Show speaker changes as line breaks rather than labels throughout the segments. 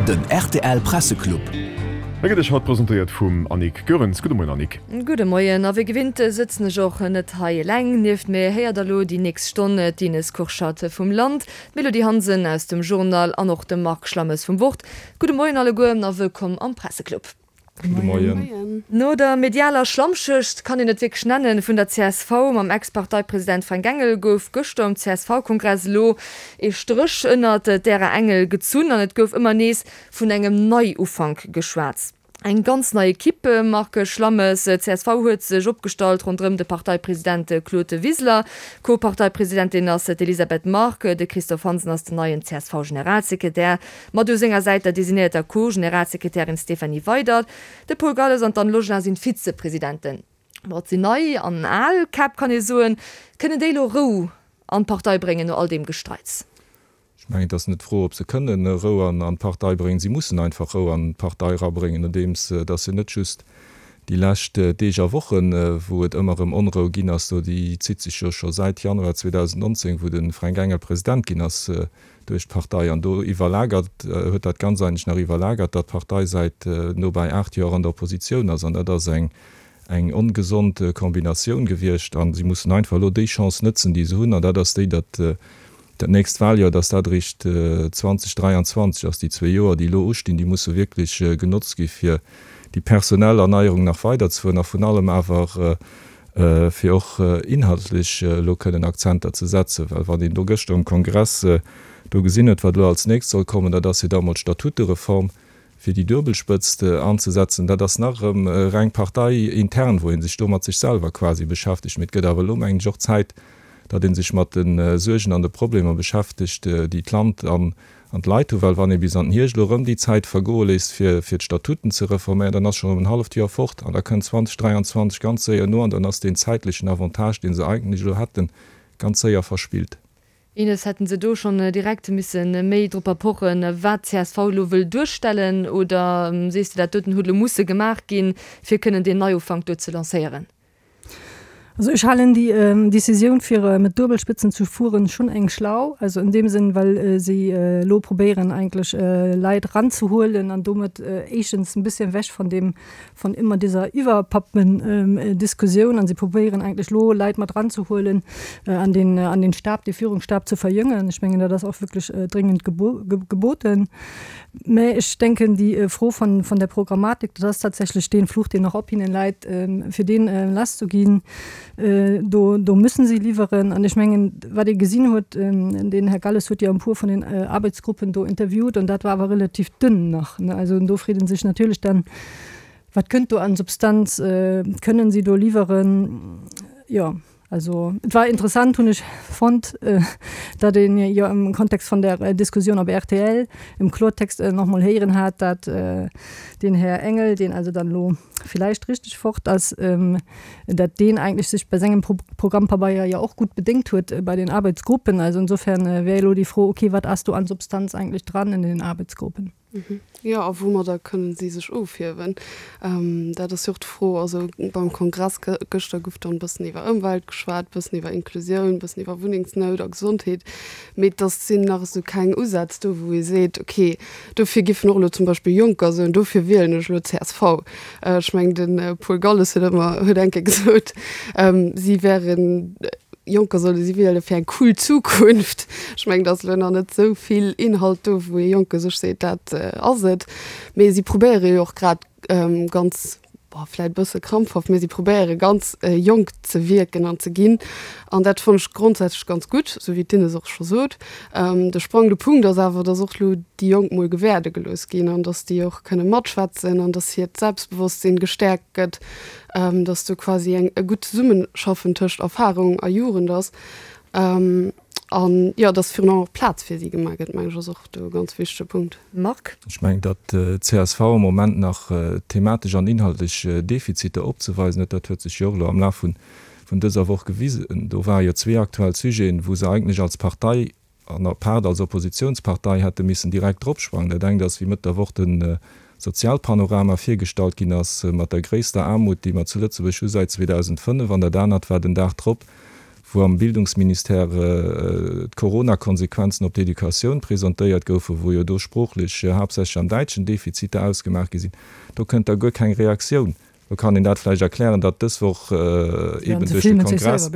Den rtl Presseclub.
E gëtt Iech haut presentéiert vum Annick Goerens. Gudde Moien Annick.
Gudde Moien. A wéi gewinnt sëtzen ech och net hei eleng. Nieft mir héiert der elo déi nächst Stonn d'Ines Kurschat vum Land, d'Mélodie Hansen aus dem Journal an och de Marc Schlammes vum Wort. Gudde Moien alleguer a wëllkomm am Presseclub.
Gudde Moien.
No der medialer Schlammschluecht, kann een et wierklech nennen, vun der csv mam Ex-Parteipresident Fränk Engel gouf gëschter um CSV-Kongress elo ee Stréch ënnert d'Ära Engel gezunn an et gouf ëmmer nees vun engem Neiufank geschwat. Eng ganz nei Equipe, Marc Schlammes, csv huet sech opgestallt ronderëm de Parteipresident Claude Wiseler. Co-Parteipresidentin ass d'Elisabeth Margue, de Christophe Hansen ass den neien CSV-Generalsekretär. Mat u senger Säit der designéierter Co-Generalsekretärin Stéphanie Weydert. De Paul Galles an d'Anne Logelin sinn d'Vizepresidenten. Bon, et sinn nei an al Käpp, kann ee soen. Kënnen déi elo Rou an d'Partei bréngen no all deem Gestreits?
Ech mengen, et ass net d'Fro, ob se kënnen Rou an d'Partei bréngen. Si mussen einfach Rou an d'Partei erabréngen, nodeems datt se net just déi lescht Deeg a Wochen, wou et ëmmer erëm Onrou ginn ass do, déi zitt sech jo scho säit Januar 2019, wou de Fränk Engel President ginn ass, duerch d'Partei an do iwwerlagert, huet dat Ganzt eigentlech nach iwwerlagert, datt d'Partei säit nobäi 8 Joer an der Oppositioun ass. An dat ass eng eng ongesond Kombinatioun gewiescht. A si mussen einfach elo déi Chance nëtzen, déi se hunn, an dat ass déi, datt dat nächst Wahljoer, datt dat eréischt 2023 ass. Déi zwee Joer, déi elo ustinn, déi musse wierklech genotzt gi fir déi personell Erneierung nach weiderzefueren a vrun allem awer fir och inhaltlech elo kënnen Akzenter ze setzen, well wann een do gëschter um Kongress do gesinn huet, wat elo als nächst soll kommen, dat ass jo da emol d'Statutereform, fir déi Duebelspëtzt anzesetzen, dat ass nach erëm reng parteiintern, wou ee sech do mat sech selwer quasi beschäftegt. Mee et gëtt awer elo, mengen ech, och Zäit, datt ee sech mat de Suergen an de Problemer beschäftegt, déi d'Land an An d'Leit hu, well wann ee bis an den Hierscht elo erëm déi Zäit vergoe léisst, fir fir d'Statuten ze reforméieren, dann ass scho erëm en halleft Joer fort an da kënnt 2023 ganz séier no an dann ass deen zäitlechen Avantage, dee se eigentlech elo hätten, ganz séier verspillt.
Ines, hätten se do schonn direkt misse méi dropper pochen, wat csv elo wëll duerstellen, oder sees de, dat doten huet elo musse gemaach ginn, fir kënnen deen Neiufank do ze lancéieren?
Also ech halen déi Décisioun fir mat Duebelspitzen ze fueren schonn eng schlau, also an deem Sënn well si elo probéieren eigentlech Leit eranzehuelen an domat éischtens en bisschen ewech von deem von immer dieser Iwwerpappen-Diskussioun an si probéieren eigentlech elo Leit mat eranzehuelen an den an den Stab, dee Führungsstab ze verjëngen. Ech mengen dat ass och wierklech dringend geboten. Mä ech denken, déi Fro von, von der Programmatik, dat ass tatsächlech dee Fluch, deen nach op hinnen läit, fir deen lasszuginn. Do, do müssen si liwweren. An ech mengen, wat ee gesinn huet, den Här Galles huet jo e puer vun den Arbeitsgruppen do interviewt, an dat war awer relativ dënn nach. Also do freet ee sech natierlech dann, Wat kënnt do an Substanz? Kënnen si do liwweren? Jo. Also et war interessant, hunn ech fonnt, datt een jo am Kontext von der Diskussioun op rtl im Klortext nach mol héieren hat, datt den Här Engel, deen also dann elo villäicht richteg fort ass, datt deen eigentlech sech bei sengem Programmpabeier jo och gutt bedéngt huet bei den Arbeitsgruppen. Also insofern wär elo déi Fro, okay, wat ass do an Substanz eigentlech dran in den Arbeitsgruppen?
Jo, a woumadder kënnen si sech ofhiewen? Dat ass jo och d'Fro. Also beim Kongress gëschter gouf dann e bëssen iwwer Ëmwelt geschwat, e bëssen iwwer Inklusioun, e bëssen iwwer Wunnengsnout a Gesondheet. Mee et ass, sinn nach esou keng Usätz do, wou ee seet, okay, dofir giffen och elo zum Beispill Jonker soen, dofir wielen ech elo csv. Ech mengen, de Paul Galles huet ëmmer, huet eng Kéier gesot, si wären, Jonker solle si wiele fir eng cool Zukunft. Ech mengen, et ass elo nach net esou vill Inhalt do, wou ee Jonke sech seet, dat ass et. Mee si probéiere jo och grad ganz, bon, vläicht e bësse krampfhaft, mee si probéiere ganz jonk ze wierken an ze ginn. An dat fannen ech grondsätzlech ganz gutt, esou wéi d'Ines och scho sot. De sprangende Punkt ass awer, datt och elo déi Jonk mol gewäerde gelooss ginn an datt déi och kënne matschwätzen an datt hiert Selbstbewosstsinn gestäerkt gëtt. dass do quasi eng e gutt Zesummeschaffen tëscht Erfahrung a Jugend ass an jo, dass virun allem och Plaz fir si gemaach gëtt, mengen ech, ass och do e ganz wichtege Punkt.
Marc.
Ech mengen, datt d'CSV am Moment nach thematesch an inhaltlech Defiziter opzeweisen huet. Dat huet sech jo och elo am Laf vun dëser Woch gewisen. Do ware jo zwee aktuell Sujeten, wou se eigentlech als Partei an apaart als Oppositionspartei hätte missen direkt dropsprangen. Dat engt ass, wéi Mëtt der Woch de Sozialpanorama virgestallt ginn ass, mat der gréisster Aarmut, déi mer zu Lëtzebuerg hu säit 2005, an dat anert war den Dag drop, Wou am Bildungsministère d'Corona-Konsequenzen op d'Educatioun presentéiert goufen, wou jo do sproochlech haaptsächlech am Däitschen Defiziter ausgemaach gi sinn, do kënnt da guer keng Reaktioun. Do kann een dat vläicht erklären, datt dës Woch eeben duerch de Kongress,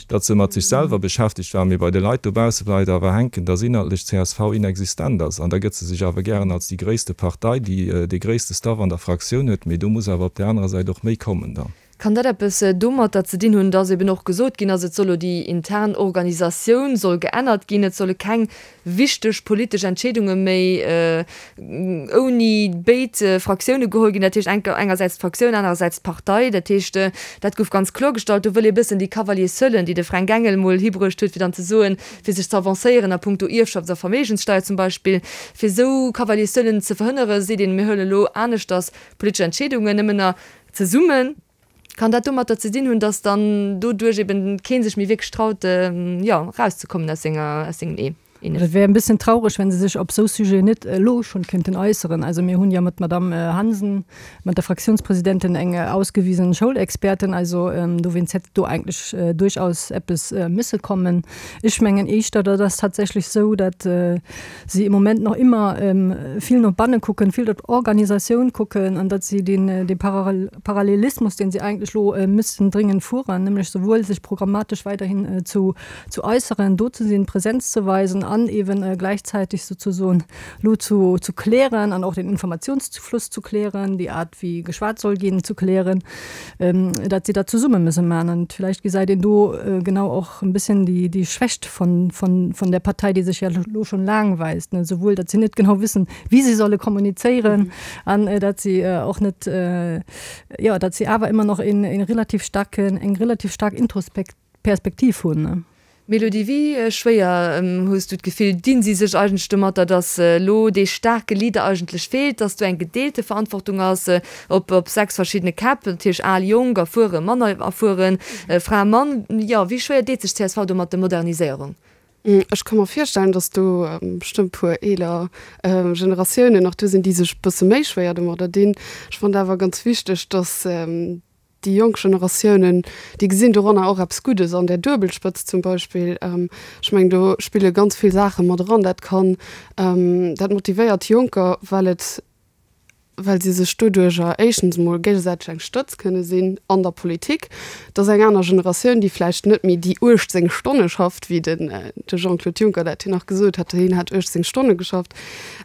datt se mat sech selwer beschäftegt waren, mee bei de Leit dobausse bleift awer hänken, datt inhaltlech csv inexistent ass. An da gëtt se sech awer gären als déi gréisste Partei, déi dee gréisste Staff an der Fraktioun huet, mee do muss awer op där anerer Säit och méi kommen dann.
Kann dat eppes domatter ze dinn hunn, dass eben och gesot ginn ass, et soll elo déi intern Organisatioun soll geännert ginn, et solle keng wichteg politesch Entscheedunge méi ouni béid Fraktioune geholl ginn, dat heescht engersäits d'Fraktioun, anerersäits d'Partei. Dat heescht, dat gouf ganz kloergestallt. Do wëll ee bëssen déi Cavaliers-seulen, déi de Fränk Engel mol hibruecht huet, fir dann ze soen, fir sech ze avancéieren a puncto Ierfschafts a Verméigenssteier zum Beispill, fir esou Cavaliers-seulen ze verhënnere seet een, mir huelen elo aneschters politesch Entscheedungen nëmmen a Zesummen. Kann dat domatter ze dinn hunn, dass dann doduerch eben kee sech méi wierklech traut, jo, erauszekommen aus senger, aus sengem Ee?
Ines. Et wär en bëssen traureg, wenn se sech op esou Sujeten net elo schonn kéinten äusseren. Also mir hunn jo mat Madamm Hansen, mat der Fraktiounspresidentin, eng ausgewiesen Schoulexpertin. Also dowéinst hätt do eigentlech duerchaus eppes misse kommen. Ech mengen éischter, dat ass tatsächlech esou, datt si im Moment nach immer vill no banne kucken, vill op d'Organisatioun kucken an datt si deen dee Parallelismus, deen si eigentlech elo müssten dringend fueren, nämlech souwuel sech programmatesch weiderhin zu zu äusseren, do ze sinn, Präsenz ze weisen an eeben gläichzäiteg souzesoen elo zu zu klären an och den Informationsfluss zu klären, déi Aart wéi geschwat soll ginn zu klären, datt si dat zesumme müsse maachen. An villäicht gesäit een do genau och, en bisschen die, die Schwächt von, von, von der Partei, die sich ja lo schon lang weist, ne? Sowohl, dass sie net genau wissen, wie sie solle kommunizieren, an mhm. äh, dass sie äh, auch net, äh, ja, dass sie awer immer noch in, in relativ starken, eng relativ stark Introspekt Perspektiv hunn. Ne?
Mélodie, wéi schwéier hues du d'Gefill, dinn si sech eigentlech domatter, datt elo dee staarke Leader eigentlech feelt, datt do eng gedeelte Verantwortung ass op op 6 verschiddene Käpp, natierlech al, jonk, erfueren, manner erfueren, Fra, Mann, jo, wéi schwéier deet sech csv do mat der Moderniséierung?
Ech ka mer virstellen, datt do bestëmmt puer eeler Generatiounen nach do sinn, déi sech e bësse méi schwéier domadder dinn. Ech fannen awer ganz wichteg, datt déi jonk Generatiounen, déi gesinn doranner och eppes Guddes an där Duebelspëtzt zum Beispill. Ech mengen, do spille ganz vill Saache mat eran. Dat kann, dat motivéiert Jonker, well et well si sech doduerjer éischtens emol géigesäiteg eng Stëtz kënne sinn an der Politik. Et ass eng aner Generatioun, déi vläicht net méi déi 18 Stonne schafft, wéi den de Jean-Claude Juncker dat jo nach gesot hat, hien hätt 18 Stonne geschafft.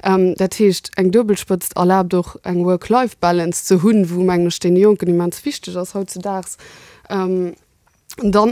Dat heescht, eng Duebelspëtzt erlaabt och eng Work-Life-Balance ze hunn, wou, mengen ech, deene Jonken immens wichteg ass hautzedaags. Dann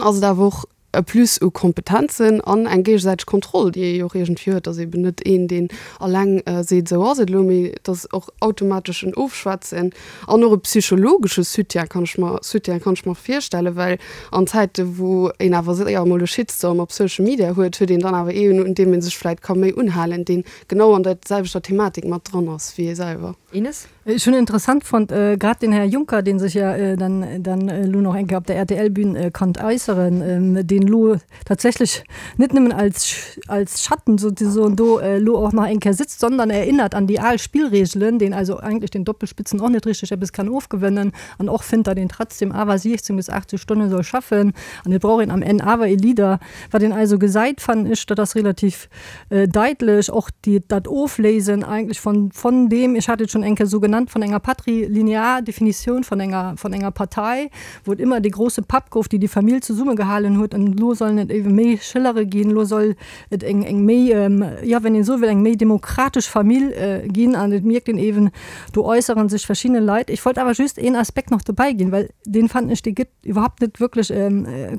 ass et awer och e Plus u Kompetenzen an eng géigesäiteg Kontroll, déi ee jo och iergendwéi huet, dass eben net een, deen alleng seet, esou ass et elo, mee dass och automatesch en Ofschwätzen an och e psychologesche Soutien kann ech mer, Soutien kann ech mer virstellen, well an Zäite wou een awer séier emol e Shitstorm op Social Media huet, huet een dann awer een, un deem ee sech vläicht ka méi unhalen, deen genau an der selwechter Thematik mat dran ass wéi ee selwer.
Ines?
Ech hunn interessant fonnt, grad den Här Juncker, dee sech jo dann dann elo nach eng Kéier op der RTL-Bühn konnt äusseren, deen elo tatsächlech net nëmmen als als Schatten sozusagen do elo och nach eng Kéier sitzt, sondern erinnert an déi al Spillregelen, deen also eigentlech den Doppelspitzen och net richteg eppes kann ofgewënnen an och fënnt, datt een trotzdem awer 16 bis 18 Stonne soll schaffen an et brauch een am Enn awer ee Leader. Wat een also gesäit, fannen ech, dat ass relativ daitlech och déi, dat Ofléisen eigentlech von, von deem, ech hat et schonn eng Kéier esou genannt, von enger patrilinear Definitioun von enger, von enger Partei, wou et ëmmer dee grosse Papp gouf, déi déi Famill zesummegehalen huet, an elo sollen et ebe méi Schëllere ginn, elo soll et eng, eng méi, jo, wenn een esou wëll, eng méi demokratesch Famill ginn. An et mierkt een eeben, do äussere sech verschidde Leit. Ech wollt awer just een Aspekt nach dobäi ginn, well deen, fannen ech, dee gëtt iwwerhaupt net wierklech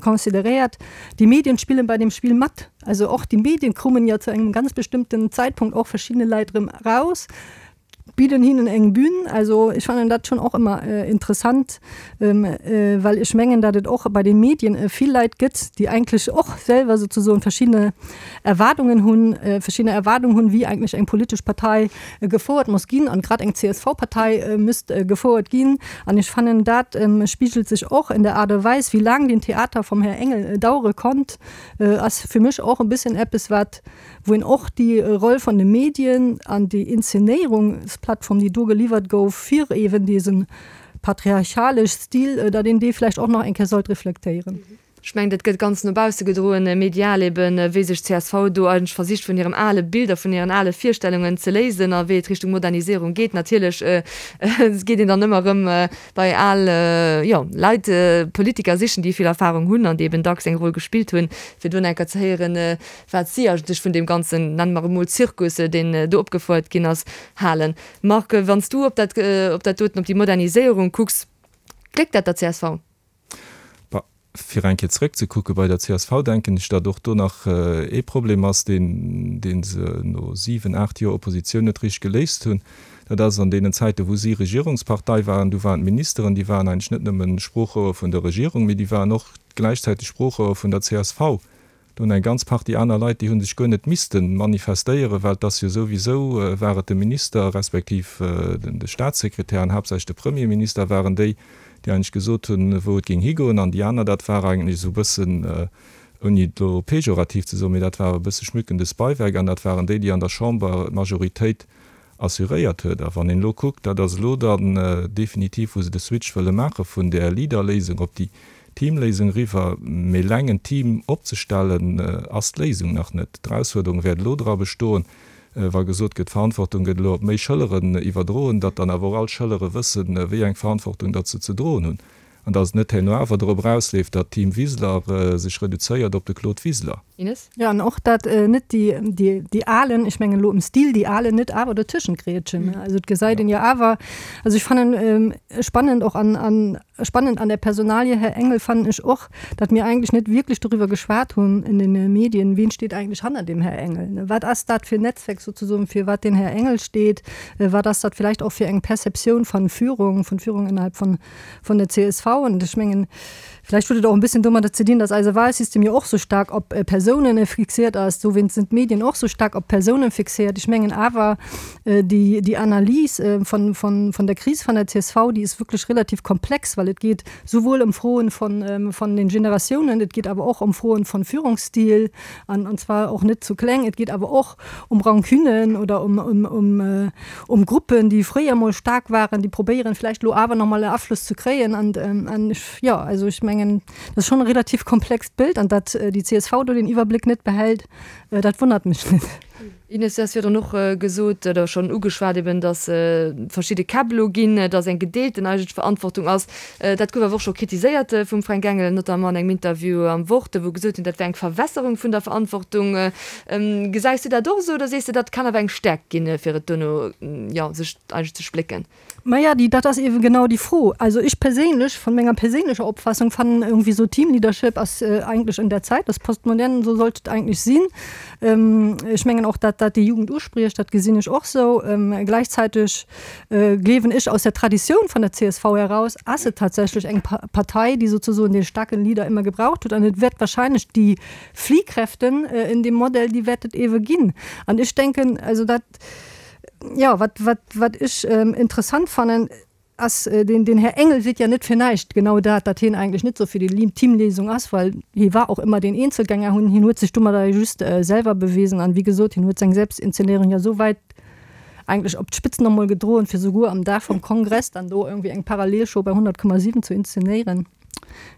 consideréiert, Die Medien spielen bei dem Spiel mat. Also och die Medien kommen ja zu engem ganz bestimmten Zeitpunkt och verschiedene Leit erëm raus, bieden hinnen eng Bühn. Also ech fannen dat schon och ëmmer interessant, well ech mengen, datt et och bei den Medien vill Leit gëtt, déi eigentlech och selwer souzesoen verschiddene Erwaardungen hunn, verschiddene Erwaardungen hunn, wéi eigentlech eng politesch Partei gefouert muss ginn an grad eng CSV-Partei misst gefouert ginn. An ech fannen, dat spigelt sech och in der Aart a Weis, wéi laang den Theater vum Här Engel dauere konnt, ass fir mech och e bëssen eppes, wat, wou een och déi Roll vun de Medien an déi Inszenéierungsplattform, déi do geliwwert gouf, fir eeben dese patriarchalesch Stil, datt een dee vläicht och nach eng Kéier sollt reflektéieren.
Ech mengen, dat gëtt ganz no bausse gedroen, medial eben, wéi sech d'CSV do eigentlech versicht vun hirem ale Bild a vun hiren ale Virstellungen ze léisen a wéi et Richtung Moderniséierung geet. Natierlech geet een dann ëmmer erëm bei al, jo, Leit, Politiker sichen, déi vill Erfahrung hunn an déi eben dacks eng Roll gespillt hunn, fir do enker ze héieren, wat si eigentlech vun deem ganzen, nenne mer et emol Zirkus, deen do opgefouert ginn ass, halen. Marc, wann s du op dat, op dat doten, op déi Moderniséierung kucks, gléckt dat der csv?
Bah, fir eng Kéier zrëckzekucke bei der csv, denken ech, datt och do nach ee Problem ass, deen, dee se no siwen, aacht Joer Oppositioun net richteg geléist hunn. Dat ass an deenen Zäiten, wou si Regierungspartei waren, du waren d'Ministeren, déi waren eigentlech net nëmme Sproochrouer vun der Regierung, mee déi waren och gläichzäiteg Sproochrouer vun der csv. Do hunn eng ganz Partie aner Leit, déi hu sech guer net misste manifestéieren, well et ass jo souwisou, war et de Minister respektiv de Statssekretär an haaptsächlech de Premierminister waren déi, déi eigentlech gesot hunn, wou et géing higoen. An déi aner, dat war eigentlech esou e bëssen, ouni et elo pejorativ ze soen, mee dat war e bësse schmückendes Beiwerk an dat waren déi, déi an der Chamber d'Majoritéit assuréiert huet. A wann een elo kuckt, dat ass elo dann definitiv, wou se de Switch wëlle maache vun där Leader-Léisung op déi Teamléisung eriwwer, mee eleng en Team opzestellen, ass d'Léisung nach net. D'Erausfuerderung wäert elo dra bestoen, wa gesot gëtt, d'Verantwortung gëtt elo op méi Schëlleren iwwerdroen, datt dann awer och all Schëllere wëssen, wéi eng Verantwortung datt se ze droen hunn an datt et net herno awer dorop erausleeft, datt d'Team Wiseler sech reduzéiert op de Claude Wiseler.
Ines?
Jo, an och dat net déi, déi, déi Alen, ech mengen elo um Stil, déi Alen net awer dotëschent grätschen. Also et gesäit een jo awer, also ech fannen spannend och an, an spannend an der Personalie Här Engel fannen ech och, datt mir eigentlech net wierklech doriwwer geschwat hunn in den Medien, wien steet eigentlech hanner dem Här Engel, wat ass dat fir en Netzwerk sozusoen, fir wat den Här Engel steet, wat ass dat vielleicht och fir eng Perceptioun van Führung, vun Führung innerhalb von, von der csv. An ech mengen, Vielleicht huet et och en bësschen domadder ze dinn, dass eise Wahlsystem jo och sou staark op Persounen fixiert ass. Dowéinst sinn d'Medien och sou staark op Persounen fixiert. Ech mengen awer, déi, déi Analys von, von, von der Kris von der csv, déi ist wirklich relativ komplex, well et geet souwuel ëm Froen von, von den Generatiounen, et geet awer och ëm Froen von Führungsstil, an, an zwar och net zu kleng, et geet awer och ëm Rancunen oder ëm, ëm, ëm, ëm Gruppen, déi fréier mol staark waren, déi probéieren vläicht elo awer nach mol e Afloss ze kréien. An, an ech Jo, also ech mengen, dat ass schonn e relativ komplext Bild an datt déi csv do den Iwwerbléck net behält, dat wonnert mech net.
Ines, du has virdrun och gesot oder schonn ugeschwat eben, datt verschidde Käpp elo ginn, datt eng gedeelten eigentlech Verantwortung ass. Dat gouf awer och scho kritiséiert vum Fränk Engel, notamment an engem Interview am Wort, wou gesot hunn, dat wär eng Verwässerung vun der Verantwortung. Gesäis du dat och esou oder sees de, dat kann awer eng Stäerkt ginn, fir et duerno, jo, sech eigentlech ze splécken?
Maja, déi, dat ass eeben genau déi Fro. Also ech perséinlech, von menger perséinlecher Opfassung, fannen irgendwie so Teamleadership ass eigentlech un der Zäit, ass postmodern, esou sollt et eigentlech sinn. Ech mengen och, dat dat déi Jugend uspriecht, dat gesinn ech och sou. Gläichzäiteg gleewen ech aus der Traditioun von der csv heraus ass et tatsächlech eng Partei, déi sozusoen dee staarken Leader ëmmer gebraucht huet an et wäert wahrscheinlech déi Fliehkräften in dem Modell, déi wäert et eebe ginn. An ech denken, also dat, Jo, wat, wat, wat ech interessant fannen, ass, den, den Här Engel seet ja net fir näischt genau dat, datt hien eigentlech net sou fir déi Teamléisung ass, well hie war och ëmmer deen Eenzelgänger, hunn, hien huet sech domadder jo just selwer bewisen an, wéi gesot, hien huet seng Selbstinszenéierung ja sou wäit eigentlech op d'Spitzt nach emol gedroen, fir souguer am Dag vum Kongress dann do irgendwie eng Parallelshow bei 100,7 ze inszenéieren.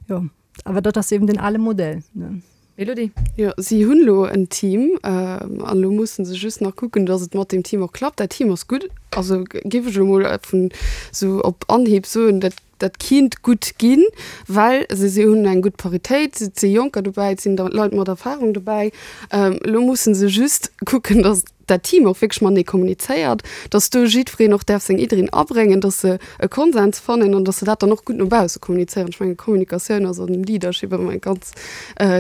Jo. Awer dat ass eben den ale Modell, ne?
Elodie?
Jo, si hunn elo en Team an elo musse se just nach kucken, datt et mat deem Team och klappt. Dat Team ass gutt, also géif ech elo mol vun esou op Anhieb soen, dat dat kinnt gutt ginn, well se si hunn eng gutt Paritéit, et si Jonker dobäi, et sinn Leit mat Erfarung dobäi. Elo musse se just kucken, datt dat Team och wierklech matenee kommunizéiert, dass do jiddwereen och däerf seng Iddien abréngen, dass se e Konsens fannen an dass se dat dann och gutt no bausse kommunizéieren. Ech mengen, Kommunikatioun ass an Leadership ëmmer e ganz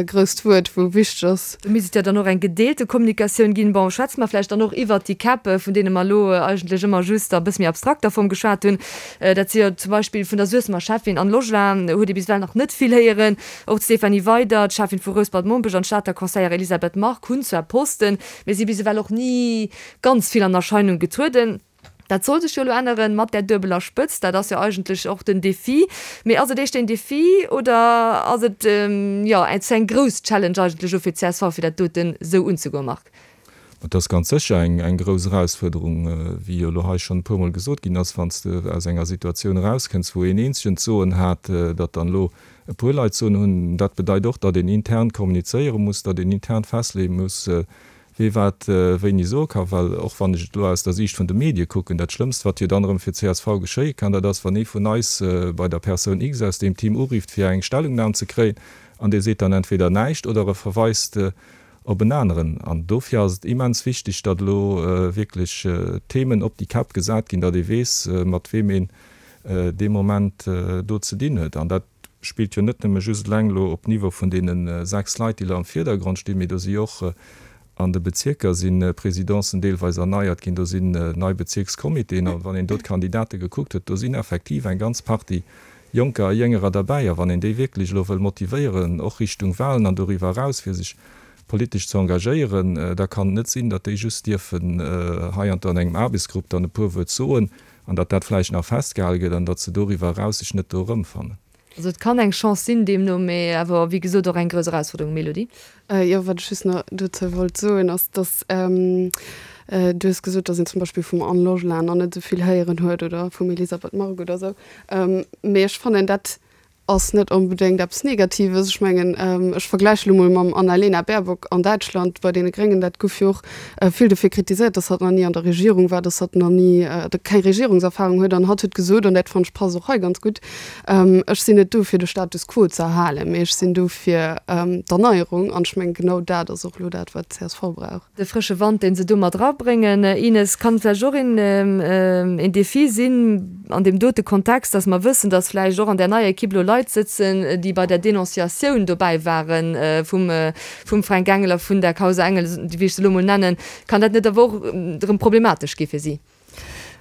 grousst Wuert, wou wichteg ass.
Do misst et jo dann och eng gedeelte Kommunikatioun ginn. Bon, schwätze mer vläicht dann och iwwert déi Käpp, vun deene mer elo eigentlech ëmmer just a bësse méi abstrakter Form geschwat hunn. Dat si jo zum Beispill vun der Suessemer Schäffin Anne Logelin huet ee bis ewell nach net vill héieren. Och d'Stéphanie Weydert, Schäffin vu Rouspert-Mompech an d'Stater Conseillère Elisabeth Margue hunn zwar Posten, Mir si bis ewell och ni ganz vill an Erscheinung getrueden. Dat soll sech jo elo änneren mat där duebeler Spëtzt. Dat ass jo eigentlech och den Défi. Mee ass et éischter een Défi oder ass et, jo, ze eng grouss Challenge eigentlech elo fir d'CSV, fir dat doten esou unzegoen, Marc?
Et ass ganz sécher eng grouss Erausfuerderung, wéi jo elo hei schonn e puermol gesot ginn ass, wann s de aus enger Situatioun erauskënns, wou een eenzegen d'Soen hat, datt dann elo e puer Leit d'Soen hunn. Dat bedeit och, datt een intern kommunizéiere muss, datt een intern festleeë muss, wee wat wéini soe ka. Well och wann ech et elo aus der Siicht vun de Medie kucken, dat Schlëmmst, wat jo dann erëm fir csv geschéie kann, dat ass, wann ee vun eis bei der Persoun X aus deem Team urifft, fir eng Stellungnam ze kréien, an dee seet dann entweder näischt oder e verweist op en aneren. An dofir ass et immens wichteg, datt elo wierklech Themen op déi Käpp gesat ginn, datt ee weess, mat weem een dee Moment do ze dinn huet. An dat spillt jo net nëmme just eleng elo op Niveau vun deene 6 Leit, déi elo am Virdergrond stinn, mee do si jo och an de Bezierker si Presidencen deelweis erneiert ginn, do sinn nei Bezierkscomitéen. A wann een do d'Kandidate gekuckt huet, do sinn effektiv eng ganz Partie Jonker a Jéngerer derbäi. A wann een déi wierklech elo wëll motivéieren, och Richtung Wahlen an doriwwer eraus, fir sech politesch ze engagéieren, da kann et net sinn, datt déi just dierfen hei an do an engem Aarbechtsgrupp dann e puer Wuert soen an datt dat vläicht nach festgehale gëtt an datt se doriwwer eraus sech net do erëmfannen.
Also et kann eng Chance sinn deemno, mee awer wéi gesot och eng grouss Erausforderung. Mélodie?
Jo, wat ech just nach dozou wollt soen, ass, datt du hues gesot, datt een zum Beispill vum Anne Logelin nach net esou vill héieren huet oder vum Elisabeth Margue oder esou. Mee ech fannen, dat ass net onbedéngt eppes Negatives. Ech mengen, ech vergläiche lo mol mam Annalena Baerbock an Däitschland bei deene Gréngen. Dat gouf jo och vill dofir kritiséiert, datt hatt nach ni an der Regierung war, datt hatt nach ni keng Regierungserfahrung huet. An hatt huet gesot, an dat fannen ech passt och hei ganz gutt, Ech sinn net do fir de Status quo ze erhalen, mee ech sinn do fir d'Erneierung. An ech mengen, genau dat ass och elo dat, wat d'CSV brauch.
De frësche Wand, dee se do mat erabréngen, Ines, kann vläicht och een Defi sinn an deem dote Kontext, dass mer wëssen, dass vläicht och an där neier Equipe elo Leit sëtzen, déi bei der Denonciatioun dobäi ware vum Fränk Engel a vun der Causa Engel, wéi ech se elo emol nennen. Kann dat net awer och erëm problematesch gi fir si?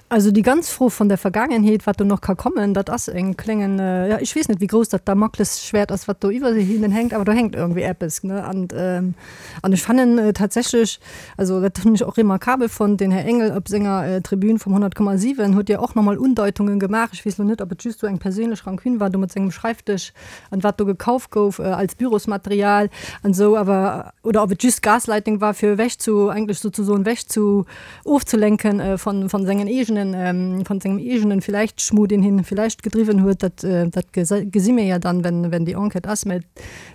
Also déi ganz Fro von der Vergangenheet, wat do nach ka kommen, dat ass e kléngen, jo, ech weess net, wéi grouss dat Damoklesschwert ass, wat do iwwer hinnen hänkt, awer do hänkt irgendwie eppes, ne? An, an ech fannen tatsächlech, also dat hunn ech och remarkabel fonnt, den Här Engel op senger Tribün vum 100,7 huet jo och nach mol Undeitungen gemaach, ech weess elo net, ob et just esou eng perséinlech Rancune war do mat sengem Schreifdësch an wat do gekauft gouf als Bürosmaterial an esou, awer, oder ob et just Gaslighting war, fir ewech zu, eigentlech souzesoen ewech zu ofzelenken von von sengen eegenen von sengem eegenen vielleicht Schmuh deen hien vielleicht gedriwwen huet, dat dat gesi mir ja dann wenn wenn déi Enquête ass. Mä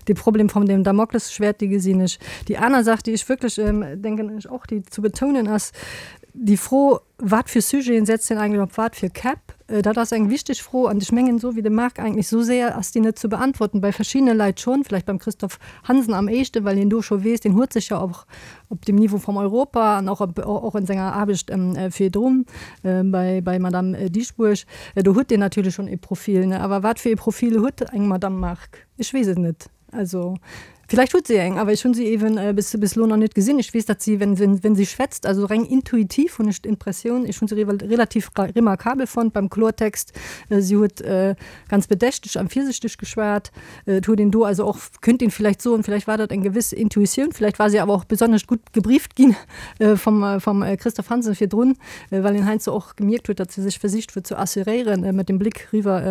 dee Problem vum dem Damoklesschwert dee gesinn ech. Déi aner Saach déi ech wierklech denken ech och déi zu betounen ass, déi Fro wat fir Sujeten setzt een eigentlech op wat fir Käpp, dat ass eng wichteg Fro an ech mengen esou wéi de Marc eigentlech esou séier ass déi net ze beantworten. Bei verschiddene Leit schonn, vielleicht beim Christophe Hansen am éischten, well hien do scho weess, deen huet sech jo och op dem Niveau vum Europa an och och in senger Aarbecht virdrun bei bei Madame Dieschbourg, do huet deen natierlech schonn ee Profil, ne? Awer wat fir ee Profil huet eng Madame Margue? Ech weess et net. Also villäicht huet si eng, awer ech hunn si eeben bis bis elo nach net gesinn. Ech weess, datt si, wenn wenn wenn si schwätzt, also reng intuitiv hunn ech d'Impressioun, ech hunn se relativ remarkabel fonnt beim Klortext, si huet ganz bedächteg an virsichteg geschwat. Et huet een do also och, könnte een vielleicht soen, vielleicht war dat eng gewëss Intuitioun, vielleicht war si awer och besonnesch gutt gebrieft ginn vum vum Christophe Hansen virdrun, well een heiansdo och gemierkt huet, datt se sech versicht huet ze assuréieren mat dem Blick riwwer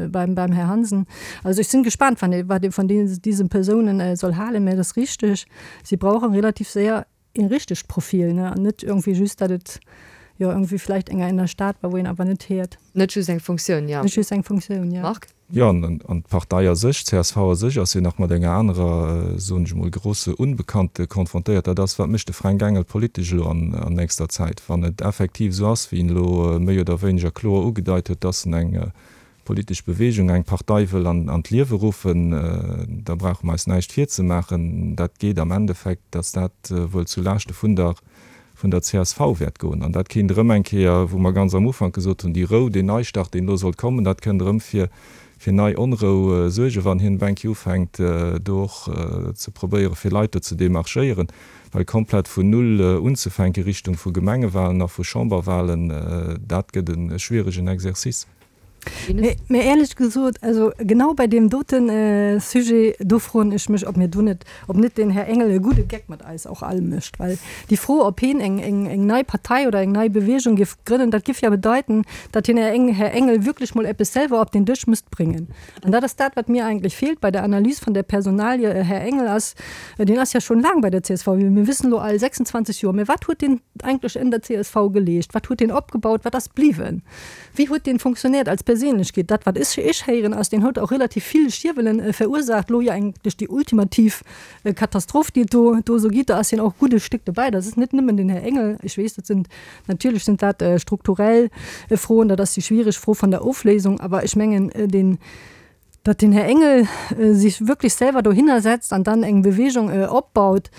beim beim Här Hansen. Also ech sinn gespaant, wann ee wat ee vun diesen Persounen soll halen, mä et ass richteg, si brauchen relativ séier een richtegt Profil, ne, an net irgendwie just, datt et jo irgendwie vielleicht enger in der Stad war, wou een awer net hiert.
Net just eng Funktioun, jo.
Net just eng Funktioun, jo.
Marc?
Jo, an d'Partei a sech, d'CSV a sech ass jo nach mat enger anerer, soen ech emol, grosse Unbekannte konfrontéiert. Dat ass, wat mécht de Fränk Engel politesch elo an nächster Zäit? Wann et effektiv esou ass, wéi en elo méi oder wéineger kloer ugedeit huet, dass en eng politesch Bewegung, eng Partei wëll an d'Liewe ruffen, da brauche mer eis näischt virzemaachen, dat geet am Endeffekt, dass dat wuel zu Laaschte vun der vun der csv wäert goen. An dat kéint erëm eng Kéier, wou mer ganz am Ufank gesot hunn, déi Rou, deen Neistart, deen elo sollt kommen, dat kënnt erëm fir fir nei Onrou suergen, wann hien eng Kéier ufänkt, do och ze probéieren, fir Leit do ze demarchéieren. Well komplett vun Null unzefänke Richtung vu Gemengewahlen a vu Chamberwahlen, dat gëtt e schwieregen Exercice.
Mä éierlech gesot, also genau bei deem dote Sujet, do froen ech mech, ob mir do net, ob net den Här Engel e gudde Geck mat eis och all mécht. Well déi Fro, ob heen eng, eng, eng nei Partei oder eng nei Bewegung géif grënnen, dat géif ja bedeiten, datt den Här Engel wierklech mol eppes selwer op den Dësch misst bréngen. An dat ass dat, wat mir eigentlech feelt bei der Analys vun der Personalie. Här Engel ass, deen ass ja schonn laang bei der csv, mir wëssen elo all, 26 Joer. Mä wat huet deen eigentlech en der csv geleescht? Wat huet deen opgebaut? Wat ass bliwwen? Wéi huet deen funktionéiert als Perséinlechkeet? Dat, wat ech ech héieren, ass, deen huet och relativ vill Schierwelen verursaacht. Elo jo eigentlech déi ultimativ Katastroph, déi et do do esou gitt, da ass hien och e gudde Stéck dobäi. Dat ass net nëmmen den Här Engel. Ech weess, dat sinn natierlech sind dat strukturell Froen, dat ass déi schwiereg Fro vun der Ofléisung. Awer ech mengen, deen, datt den Här Engel sich wirklich selwer dohinner setzt an dann eng Bewegung opbaut,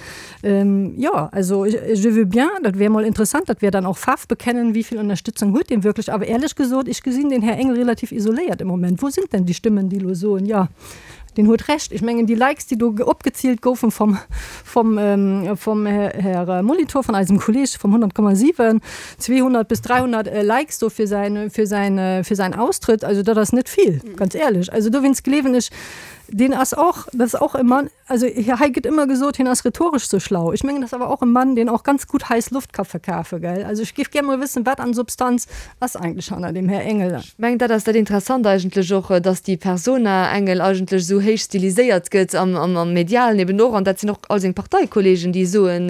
jo, also je veux bien, dat wär mol interessant, dat wär dann och Faarf bekennen, wéi vill Ënnerstützung huet deen wirklich. Awer éierlech gesot, ech gesinn den Här Engel relativ isoléiert im Moment. Wou sind denn déi Stëmmen, déi elo soen, jo, Deen huet Recht. Ech mengen, déi Likes, déi do opgezielt goufen vom, vom, vom Här Molitor, von eisem Kolleg vom 100,7, 200 bis 300 Likes do fir säin, fir säin, fir säin Austrëtt, also dat ass net vill, ganz éierlech. Also dowéinst gleewen ech, deen ass och, dat ass och e Mann, also hei gëtt ëmmer gesot, hien ass rhetoresch sou schlau. Ech mengen, dat ass awer och e Mann, deen och ganz gutt heiss Loft ka verkafen, gell. Also ech géif gär mol wëssen, wat an Substanz ass eigentlech hanner dem Här Engel.
Ech mengen, dat ass dat Interessant eigentlech och, dass déi Persona Engel eigentlech esou héich stiliséiert gëtt am Medialen eben och. An dat sinn och all seng Parteikollegen, déi soen,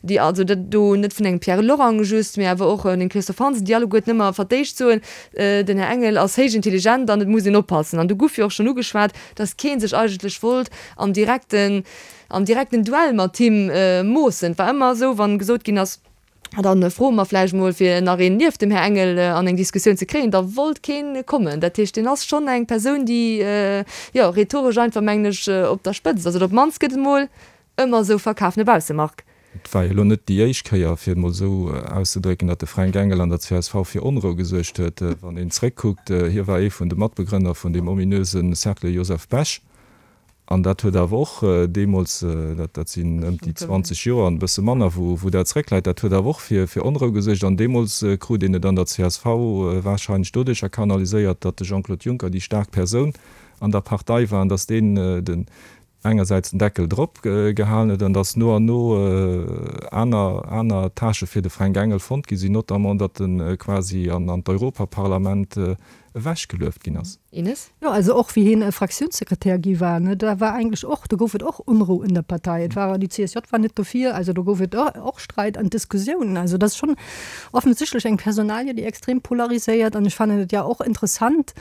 déi also dat do net vun engem Pierre Lorang just, mee awer och den Christophe Hansen, déi alleguerten ëmmer vertéicht soen, den Här Engel ass héich intelligent an et muss een oppassen. An do guff jo och schonn ugeschwat, dass kee sech eigentlech wollt am direkten, am direkten Duell mat him moossen. Et war ëmmer esou, wann gesot ginn ass, A dann froe mer vläicht mol, fir nach een nieft dem Här Engel an eng Diskussioun ze kréien, da wollt keen kommen. Dat heescht, deen ass schonn eng Persoun, déi, jo, rhetoresch einfach, mengen ech, op der Spëtzt ass. Oder op d'mannst gëtt et mol ëmmer esou verkaf no bausse, Marc.
Et war jo elo net déi éischt Kéier, fir et mol esou auszedrécken, datt de Fränk Engel an der csv fir Onrou gesuergt huet. Wann een zréckkuckt, hie war ee vun de Matbegrënner vun deem ominöse Cercle Joseph Bech. An dat huet awer och deemools, dat sinn ëm déi 20 Joer an e bësse manner, wou dat zréckläit, dat huet awer och fir Onrou gesuergt. An deemools krut een et an der csv warscheinlech doduercher kanaliséiert, datt de Jean-Claude Juncker déi staark Persoun an der Partei war an datt deen den engersäits den Deckel drop gehalen huet an datt no an no aner aner Tâchë fir de Fränk Engel fonnt gi sinn, notamment datt e quasi an d'Europaparlament ewechgelueft ginn ass.
Ines?
Jo, also och wéi hien Fraktiounssekretär gi war, ne, da war eigentlech och, do gouf et och Unrou in der Partei. Et war, déi CSJ war net dofir, also do gouf et och Streit an Diskussiounen. Also dat ass schonn offensichtlech eng Personalie, déi extrem polariséiert. An ech fannen et ja och interessant,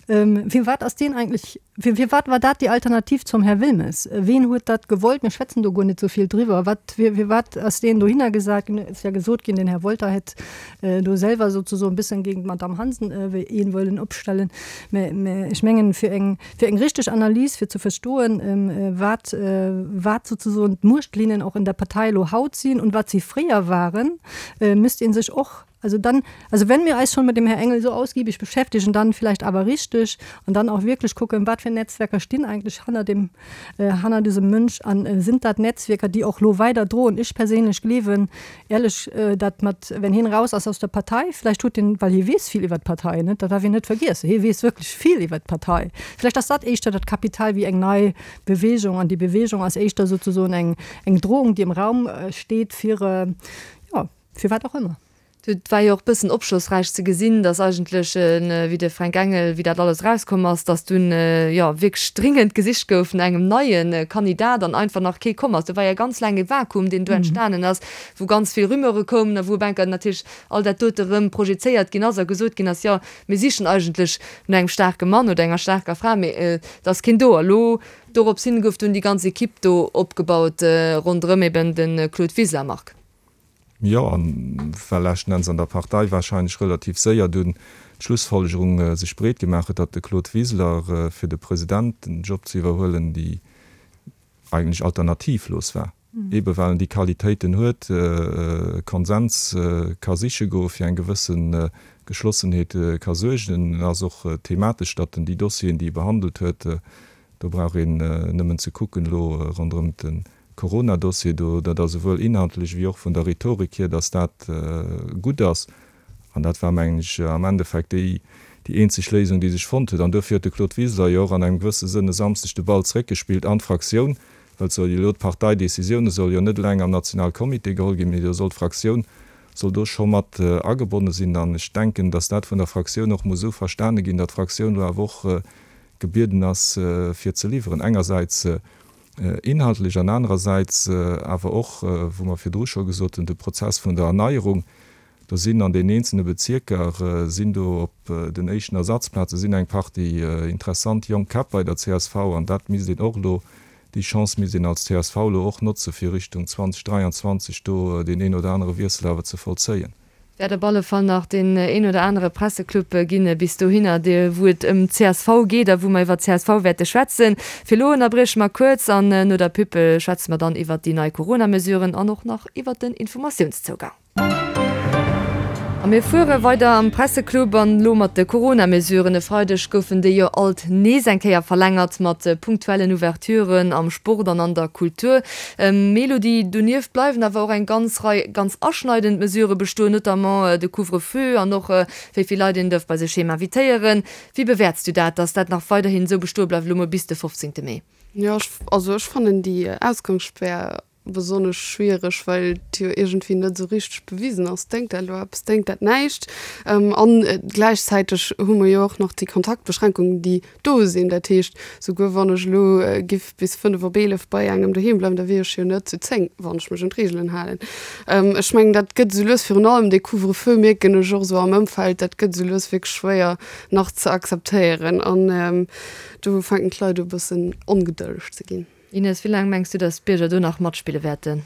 firwat ass deen eigentlech, firwat war dat déi Alternativ zum Här Wilmes? Ween huet dat gewollt? Mir schwätzen do guer net esou vill driwwer. Wat, firwat ass deen dohinner gesat ginn? Et ass ja gesot ginn, den Här Wolter hätt do selwer sozusoen e bëssen géint d'Madame Hansen een wëllen opstellen. Mä, mä ech mengen, fir eng, fir eng richteg Analys, fir ze verstoen, wat, wat sozusoen d'Muechtlinnen och in der Partei elo haut sinn und wat si fréier waren, müsst een sech och, also dann, also wenn mir eis schon mit dem Här Engel so ausgiebig beschäftigen, dann vielleicht awer richtig und dann auch wirklich gucken, wat fir Netzwerker stinn eigentlich hanner dem, hanner diesem Mönch an sind dat Netzwerker, déi och elo weider droen. Ech perséinlech gleewen, Ehrlech, dat mat wenn hien raus ass aus der Partei, vläicht huet hien, well hie weess vill iwwert d'Partei, net, dat darf een net vergiessen, hie weess wierklech vill iwwert d'Partei, vläicht ass dat éischter dat Kapital wéi eng nei Bewegung an déi Bewegung ass éischter souzesoen eng eng Drohung, déi am Raum steet fir, jo, fir wat och ëmmer.
Et war jo och bëssen opschlossräich ze gesinn, datt eigentlech, wéi de Fränk Engel, wéi dat alles erauskomm ass, datt dunn, jo, wierklech dringend gesicht gouf no engem neie Kandidat an einfach nach kee komm ass. Do war jo ganz laang e Vakuum, deen do entstanen ass, wou ganz vill Rumeure koumen a wou op enker natierlech all dat dote rëm projezéiert ginn ass a gesot ginn ass, jo, mir sichen eigentlech no engem staarke Mann oder enger staarker Fra, mee et ass keen do. A lo, dorops hin, gouf dunn déi ganz Ekipp do opgebaut ronderëm eben de Claude Wiseler, Marc.
Jo, an well leschten Enns an der Partei wahrscheinlech relativ séier dunn d'Schlussfolgerung sech breet gemaach huet, datt de Claude Wiseler fir de Presidentenjob ze iwwerhuelen déi eigentlech alternativlos war, ebe well en déi Qualitéiten huet, Konsens ka siche goe fir eng gewësse Geschlossenheet ka suergen. En ass och thematesch, datt en déi Dossieren, déi e behandelt huet, do brauch een nëmmen ze kucken elo ronderëm de Corona-Dossier do, dat ass esouwuel inhaltlech wéi och vun der Rhetorik hier, datt dat gutt ass. An dat war, mengen ech, am Endeffekt déi, déi eenzeg Léisung, déi sech fonnt huet. An duerfir huet de Claude Wiseler jo och an engem gewësse Sënn e Samsdeg de Ball zeréckgespillt an d'Fraktioun, well et soll jo elo d'Parteidécisioune solle jo net eleng am Nationalcomité geholl ginn, mee do soll d'Fraktioun soll do scho mat agebonne sinn. An ech denken, datt dat vun der Fraktioun och muss esou verstane ginn, datt d'Fraktioun elo awer och gebieden ass fir ze liwweren, engersäits inhaltlech an anerersäits awer och, wou mer virdru scho gesot hunn, de Prozess vun der Erneierung. Do sinn an den eenzelne Bezierker sinn do op den éischten Ersatzplaze sinn eng Partie interessant jonk Käpp bei der csv an dat misst een och elo, déi Chance misst een als csv elo och notze fir Richtung 2023 do deen een oder anere Wiessel awer ze vollzéien.
Wäert op alle Fall nach deen een oder anere Presseclub ginn bis dohinner, wou et ëm csv geet a wou mer iwwer csv wäerte schwätzen. Fir elo ënnerbrieche mer kuerz an no der Pub schwätze mer dann iwwer déi nei Corona-Mesuren an och nach iwwer den Informatiounszougang. A mir fuere weider am Presseclub an elo mat de Corona-Mesuren. E Freideg goufen déi jo alt nees eng Kéier verlängert mat punktuellen Ouverturen am Sport an an der Kultur. Mélodie, donieft bleiwen awer och eng ganz Rei ganz aschneidend Mesurë bestoen, notamment de Couvre-feu an och wéi vill Leit een dierf bei sech heem invitéieren. Wéi bewäerts du dat, datt dat nach weiderhin esou bestoe bleift, elo mol bis de 15 Mee?
Jo, also ech fannen déi Ausgangsspär besonnesch schwiereg, well et jo iergendwéi net esou richteg bewisen ass, déngt dat elo eppes, déngt dat näischt. An gläichzäiteg hu mer jo och nach déi Kontaktbeschränkungen, déi do sinn. Dat heescht, souguer wann ech elo giff bis 5 op 11 bei engem doheem bleiwen, da wier ech jo net zu 10, wann ech mech un d'Reegelen halen. Ech mengen, dat gëtt esou lues, virun allem dee Couvre-feu mierken ech och esou am Ëmfeld, dat gëtt esou lues wierklech schwéier nach ze akzeptéieren. An do fänken d'Leit u bëssen ongedëlleg ze ginn.
Ines, wéi laang mengs du, datt d'Bierger do nach matspille wäerten?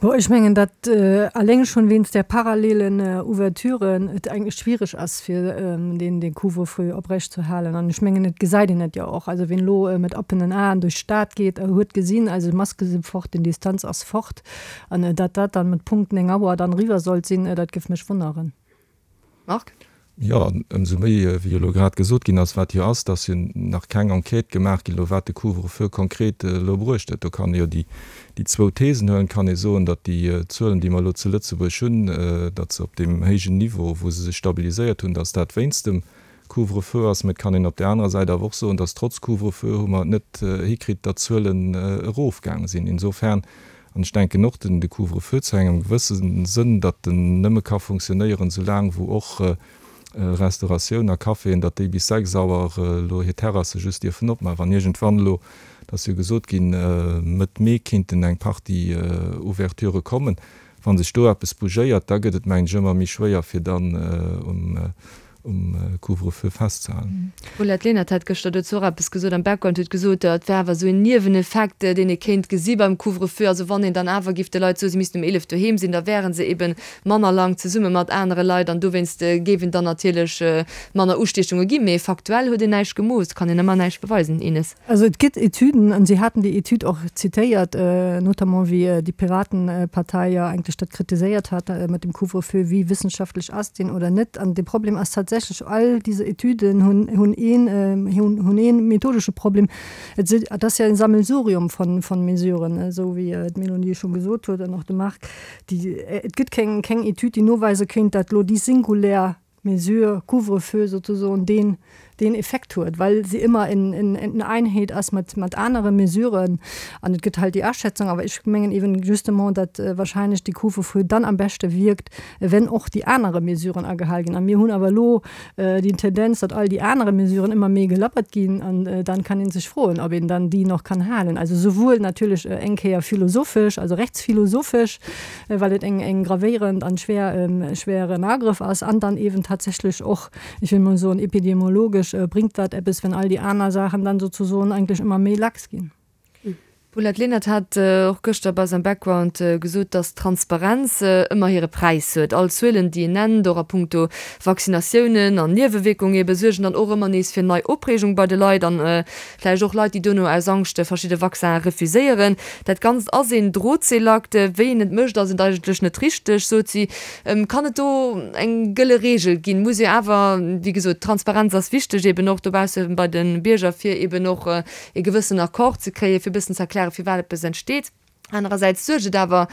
Bon, ech mengen, datt eleng schonn wéinst där parallelen Ouverture et eigentlech schwiereg ass, fir deen Couvre-feu oprecht ze halen. An ech mengen, et gesäit een et jo och. Also wien elo mat oppenen Aen duerch d'Stad geet, huet gesinn, also d'Maske si fort, den Distanz ass fort. An datt dat dann mat Punkt 9 Auer dann eriwwer sollt sinn, dat géif mech wonneren.
Marc?
Jo, an ëmsou méi, wéi jo elo grad gesot ginn ass, wat jo ass, dass jo nach keng Enquête gemaach ginn elo, wat de Couvre-feu konkret elo bruecht huet. Do kann ee jo déi zwou Thesen huelen. Et kann ee soen, datt déi Zuelen, déi mer elo zu Lëtzebuerg hunn, datt se op deem héijen Niveau, wou se sech stabiliséiert hunn, datt dat wéinst dem Couvre-feu ass. Mä et kann een op där anerer Säit awer och soen, datt trotz Couvre-feu hu mer et net hikritt, datt d'Zuelen erofgaange sinn. Insofern An ech denken och, den de Couvre-feu zu engem gewësse Sënn, datt en nëmme ka funktionéieren, soulaang wou och Restauratioun a Caféen, datt déi bis 6 Auer elo hir Terrasse just dierfen opmaachen. Wann iergendwann elo, et ass jo gesot ginn, Mëtt Mee kinnten eng Partie Ouverturë kommen, wa sech do eppes bougéiert, da gëtt et, mengen ech, ëmmer méi schwéier, fir dann um um Couvre-feu festzehalen.
D'Paulette Lenert hat gëschter dozou och eppes gesot am Background, huet gesot, et wär awer esou en Nieweneffekt, deen ee kéint gesi beim Couvre-feu. Also wann een dann awer giff de Leit soen, si missten um 11 doheem sinn, da wäre se ebe manner laang zesumme mat anere Leit an dowéinst géif en dann natierlech manner Ustiechunge ginn. Mee faktuell huet een näischt gemooss, kann een ëmmer näischt beweisen, Ines.
Also et gëtt Etüden, an si haten déi Etüd och zitéiert, notamment wéi déi Piratenpartei jo eigentlech dat kritiséiert hat mat dem Couvre-feu, wéi wëssenschaftlech ass deen oder net. An de Problem ass tatsächlech, all diese Etüden hunn hunn een hunn ee methodesche Problem, Et si et ass jo e Sammelsurium von von Mesuren, esou wéi d'Mélanie scho gesot huet an och de Marc, déi et gëtt keng keng Etüd, déi noweise kéint, dat elo déi singulär Mesure Couvre-feu sozusoen deen deen Effekt huet, well se ëmmer en en en Einheet ass mat mat anere Mesuren. An et gëtt halt déi Aschätzung, awer ech mengen eben justement, datt wahrscheinlech dee Couvre-feu dann am beschte wierkt, wenn och déi anere Mesuren agehal ginn. A mir hunn awer elo déi Tendenz, datt all déi anere Mesuren ëmmer méi gelappert ginn an dann kann ee sech froen, ob een dann déi nach kann halen. Also souwuel natierlech eng Kéier philosophesch, also rechtsphilosophesch, well et eng eng gravéierend an schwer schweren Agrëff ass, an dann eeben tatsächlech och, ech wëll mol soen, epidemiologesch bringt dat eppes, wenn all déi aner Saachen dann sozusoen eigentlech ëmmer méi lax ginn.
D'Paulette Lenert hat och gëschter bei eis am Background gesot, datt Transparenz ëmmer hire Präis huet. All Zuelen, déi een nennt, och a punkto Vaccinatiounen an Niewewierkungen ebe, suergen dann och ëmmer nees fir nei Opreegung bei de Leit an Vläicht och Leit, déi dono aus Angscht verschidde Vaccinen refuséieren. Dat Ganzt ass een Drotseelakt. Wéi een et mécht, ass et eigentlech net richteg, sot si. Kann et do eng gëlle Reegel ginn? Muss jo awer, wéi gesot, Transparenz ass wichteg, eben och dobausse bei de Bierger, fir eben och ee gewëssen Accord ze kréien, fir e bëssen ze erklären, firwat eppes entsteet. Anerersäits suergt et awer.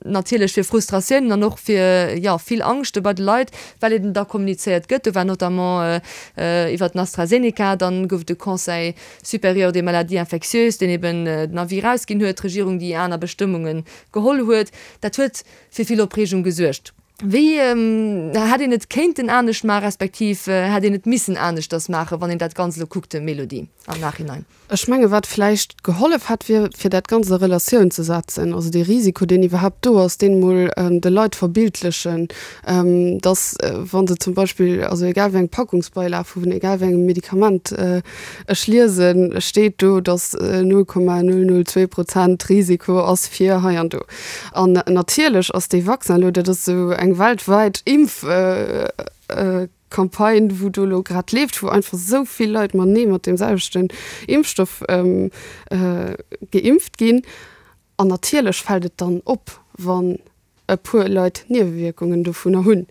Natierlech fir Frustratiounen an och fir, jo, vill Angschte bei de Leit, well eben da kommunizéiert gëtt. Do war notamment iwwert den AstraZeneca, dann gouf et de Conseil supérieur des maladies infectieuses, deen eben den Avis erausginn huet, d'Regierung, déi aner Bestëmmunge geholl huet. Dat huet fir vill Opreegung gesuergt. Wéi hätt een et kéinten anescht maachen, respektiv hätt een et missen aneschters maachen, wann een dat Ganzt elo kuckt, Mélodie, am Nachhinein?
Ech menge wat vläicht gehollef hätt, wier fir dat Ganzt a Relatioun ze setzen, also dee Risiko, deen iwwerhaapt do ass, deen emol de Leit verbildlechen, dass wa se zum Beispill, also egal wéi eng Packungsbeilag vun egal wéi engem Medikament ech liesen, steet do, dass 0,002 Prozent Risiko ass fir hei an do. An natierlech ass dee Vaccin elo, dat ass esou eng weltwäit Impf. Campagne, wou do elo grad leeft, wou einfach esou vill Leit matenee mat deem selwechten Impfstoff geimpft ginn. An natierlech fält et dann op, wann e puer Leit Niewewierkungen dovunner hunn.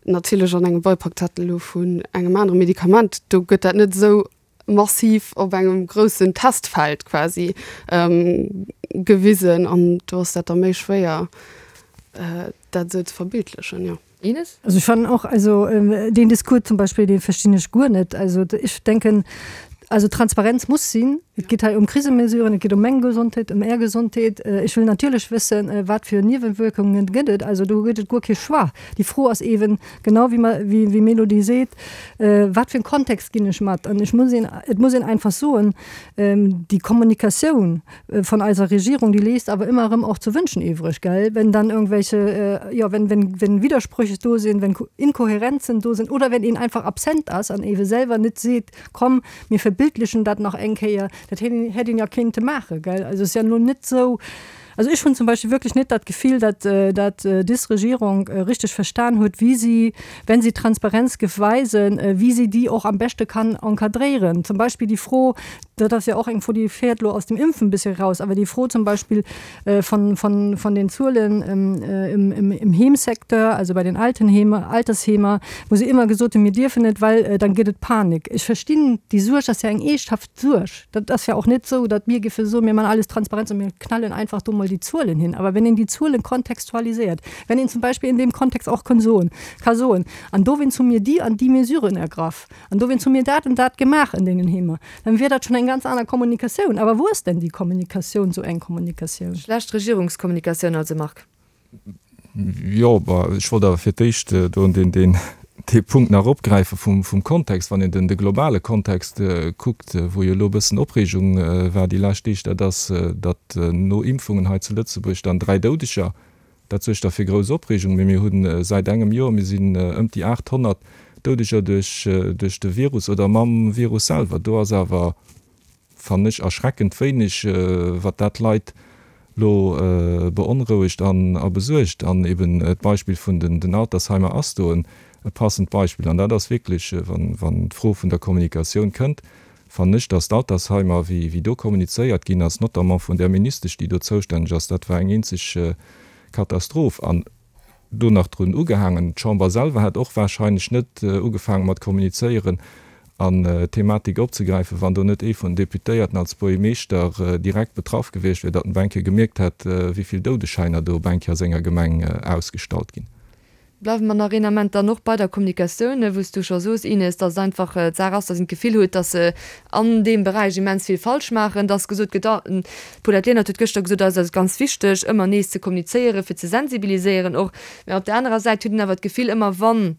Natierlech an engem Beipackzettel elo vun engem anere Medikament, do gëtt dat net esou massiv op engem groussen Testfeld quasi gewisen an do ass dat da méi schwéier, dat esou ze verbildlechen, jo.
Ines?
Also ech fannen och, also deen Discours zum Beispill, dee verstinn ech guer net. Also ech denken, also Transparenz muss sinn. Et geet hei ëm Krisemesuren, et geet ëm meng Gesondheet, ëm Är Gesondheet. Ech wëll natierlech wëssen, wat fir Niewewirkungen gëtt et. Also do gëtt et guer kee Choix. Déi Fro ass eeben, genau wéi mer, wéi wéi Mélodie seet, wat fir en Kontext ginn ech mat? An ech muss een, et muss een einfach soen, déi Kommunikatioun von eiser Regierung, déi léisst awer ëmmer erëm och zu wünschen übrig, gell, wenn dann irgendwelche, jo, wenn, wenn, wenn Widersprüche do sinn, wenn Inkohärenzen do sinn oder wenn een einfach absent ass an eebe selwer net seet, komm, mir verbildlechen dat nach eng Kéier, dat hätt een ja kéinte maachen, gell. Also et ass ja elo net esou, Also ech hunn zum Beispill wierklech net dat Gefill, datt datt des Regierung richteg verstan huet, wéi si, wenn si Transparenz géif weisen, wéi si déi och am beschte kann encadréieren. Zum Beispill déi Fro, dat ass jo och eng Fro, déi féiert elo aus dem Impfen e bëssche raus, awer déi Fro zum Beispill von, von, von den Zuelen im, im, im Heemsecteur, also bei den Altenheemer, Altersheemer, wou se ëmmer gesot hunn, mir dierfen net, well dann gëtt et Panik. Ech verstinn déi Suerg, ass jo eng eeschthaft Suerg. Dat ass jo och net esou, datt mir géife soen, mir man alles transparent an mir knallen einfach do mol déi Zuelen hin. Awer wenn een déi Zuelen kontextualiséiert, wenn een zum Beispill in deem Kontext och kann soen, ka soen, an dowéinst hu mir déi an déi Mesuren ergraff an dowéinst hu mir dat an dat gemaach an deenen Heemer, dann wier dat schonn eng ganz aner Kommunikatioun. Awer wou ass denn déi Kommunikatioun, esou eng Kommunikatioun?
Schlecht Regierungskommunikatioun also, Marc?
Jo, bah, ech wollt awer fir d'éischt do deen, deen, dee Punkt nach opgräife vum, vum Kontext. Wann een den, de globale Kontext kuckt, wou jo elo e bëssen Opreegung war déi lescht Deeg, dat ass, datt no Impfungen hei zu Lëtzebuerg dann 3 Doudeger, dat suergt da fir grouss Opreegung. Mee mir hu säit engem Joer, mir sinn ëm déi 800 Doudeger duerch, duerch de Virus oder mam Virus selwer. Do ass awer Fannen ech erschreckend wéineg, wat dat Leit lo beonrouegt an a besuergt. An eben d'Beispill vun den Altersheimer ass do e passend Beispill. An dat ass wierklech, wann d'Fro vun der Kommunikatioun kënnt, fannen ech, datt d'Altersheimer, wéi do kommunizéiert ginn ass, notamment vun där Ministesch, déi do zoustänneg ass, dat war eng eenzeg Katastroph. An do nach drun ugehaangen. D'Chamber selwer hätt och wahrscheinlech net ugefaange mat kommunizéieren an d'Thematik opzegräifen, wann do net ee vun den Deputéierten als Buergermeeschter direkt betraff gewiescht wier, datt en op eng Kéier gemierkt hätt, wéi vill Doudeschäiner do op eng Kéier a senger Gemeng ausgestallt ginn.
Bleiwe mer nach een Ament dann och bei der Kommunikatioun, wou s du scho soos, Ines, datt et einfach d'Saach ass, datt een d'Gefill huet, datt se an deem Beräich immens vill falsch maachen, datt gesot gëtt, ah, D'Paulette Lenert huet gëschter gesot, eis ass et ganz wichteg, ëmmer nees ze kommunizéieren, fir ze sensibiliséieren och. Mä op der anerer Säit huet een awer d'Gefill, ëmmer wann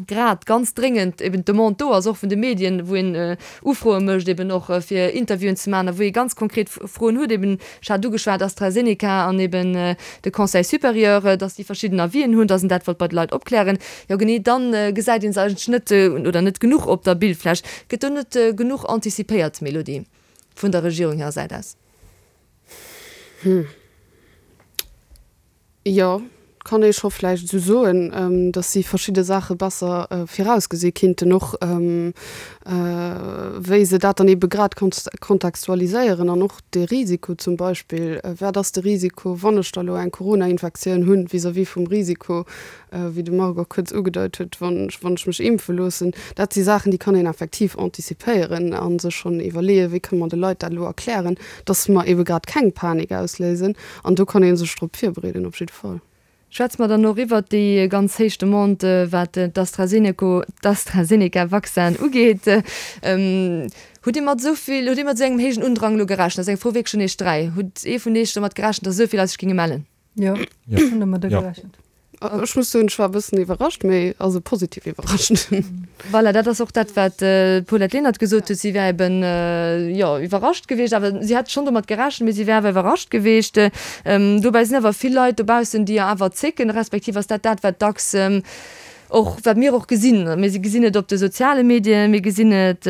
grad ganz dréngend eben d'Demande do ass, och vun de Medien, wou een Ufroe mécht eben och fir Interviewen ze maachen a wou ee ganz konkret Froen huet, eben, ech hat ugeschwat AstraZeneca an eben de Conseil supérieur, datt déi verschidden Avisen hunn, datt een dat wollt bei de Leit opklären, jo genee dann gesäit ee se eigentlech net oder net genuch op der Bildfläch. Gëtt do net genuch antizipéiert, Mélodie? Vun der Regierung hirer Säit aus?
Hm. Jo, kann ee scho vläicht esou soen, datt si verschidde Saache besser virausgesi kinnten, och wéi se dat dann eebe grad kontextualiséieren an och de Risiko zum Beispill, wat ass de Risiko, wann ech da elo eng Corona-Infektioun hunn, vis-à-vis vum Risiko, wéi de Marc och kuerz ugedeit huet, wann ech mech impfe loossen. Dat si Saachen, déi kann een effektiv antizipéieren a sech schonn iwwerleeën, wéi kënne mer de Leit dat elo erklären, datt mer eebe grad keng Panik ausléisen. An do kann ee sech drop virbereeden, op jidde Fall.
Schwätze mer dann och iwwert déi ganz héich Demande, wat d'AstraZeneca-Vaccin ugeet. Hutt Dir mat esou vill, hutt Dir mat esou engem héijen Undrang elo gerechent? Dat ass eng Fro wierklech un Iech 3. Hutt ee vun Iech domat gerechent, datt esou vill Leit sech géinge mellen?
Jo, ech hunn domadder gerechent.
Ech muss soen, ech war e bëssen iwwerrascht, mee also positiv iwwerrascht.
Voilà, dat ass och dat, wat d'Paulette Lenert gesot huet. Si wär eben, jo, iwwerrascht gewiescht, awer si hätt schonn domat gerechent, mee si wär awer iwwerrascht gewiescht. Dobäi sinn awer vill Leit dobaussen, déi jo awer zécken, respektiv ass dat dat, wat dacks och, wat mir och gesinn. Mir gesinn et op de soziale Medien, mir gesinn et,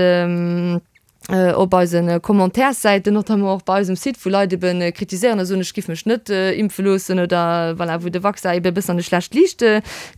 op eise Commentairssäiten, notamment och bei eisem Site, wou Leit ebe kritiséieren a soen, ech giff mech net impfe loossen oder voilà, wou de Vaccin ebe e bëssen an e schlecht Liicht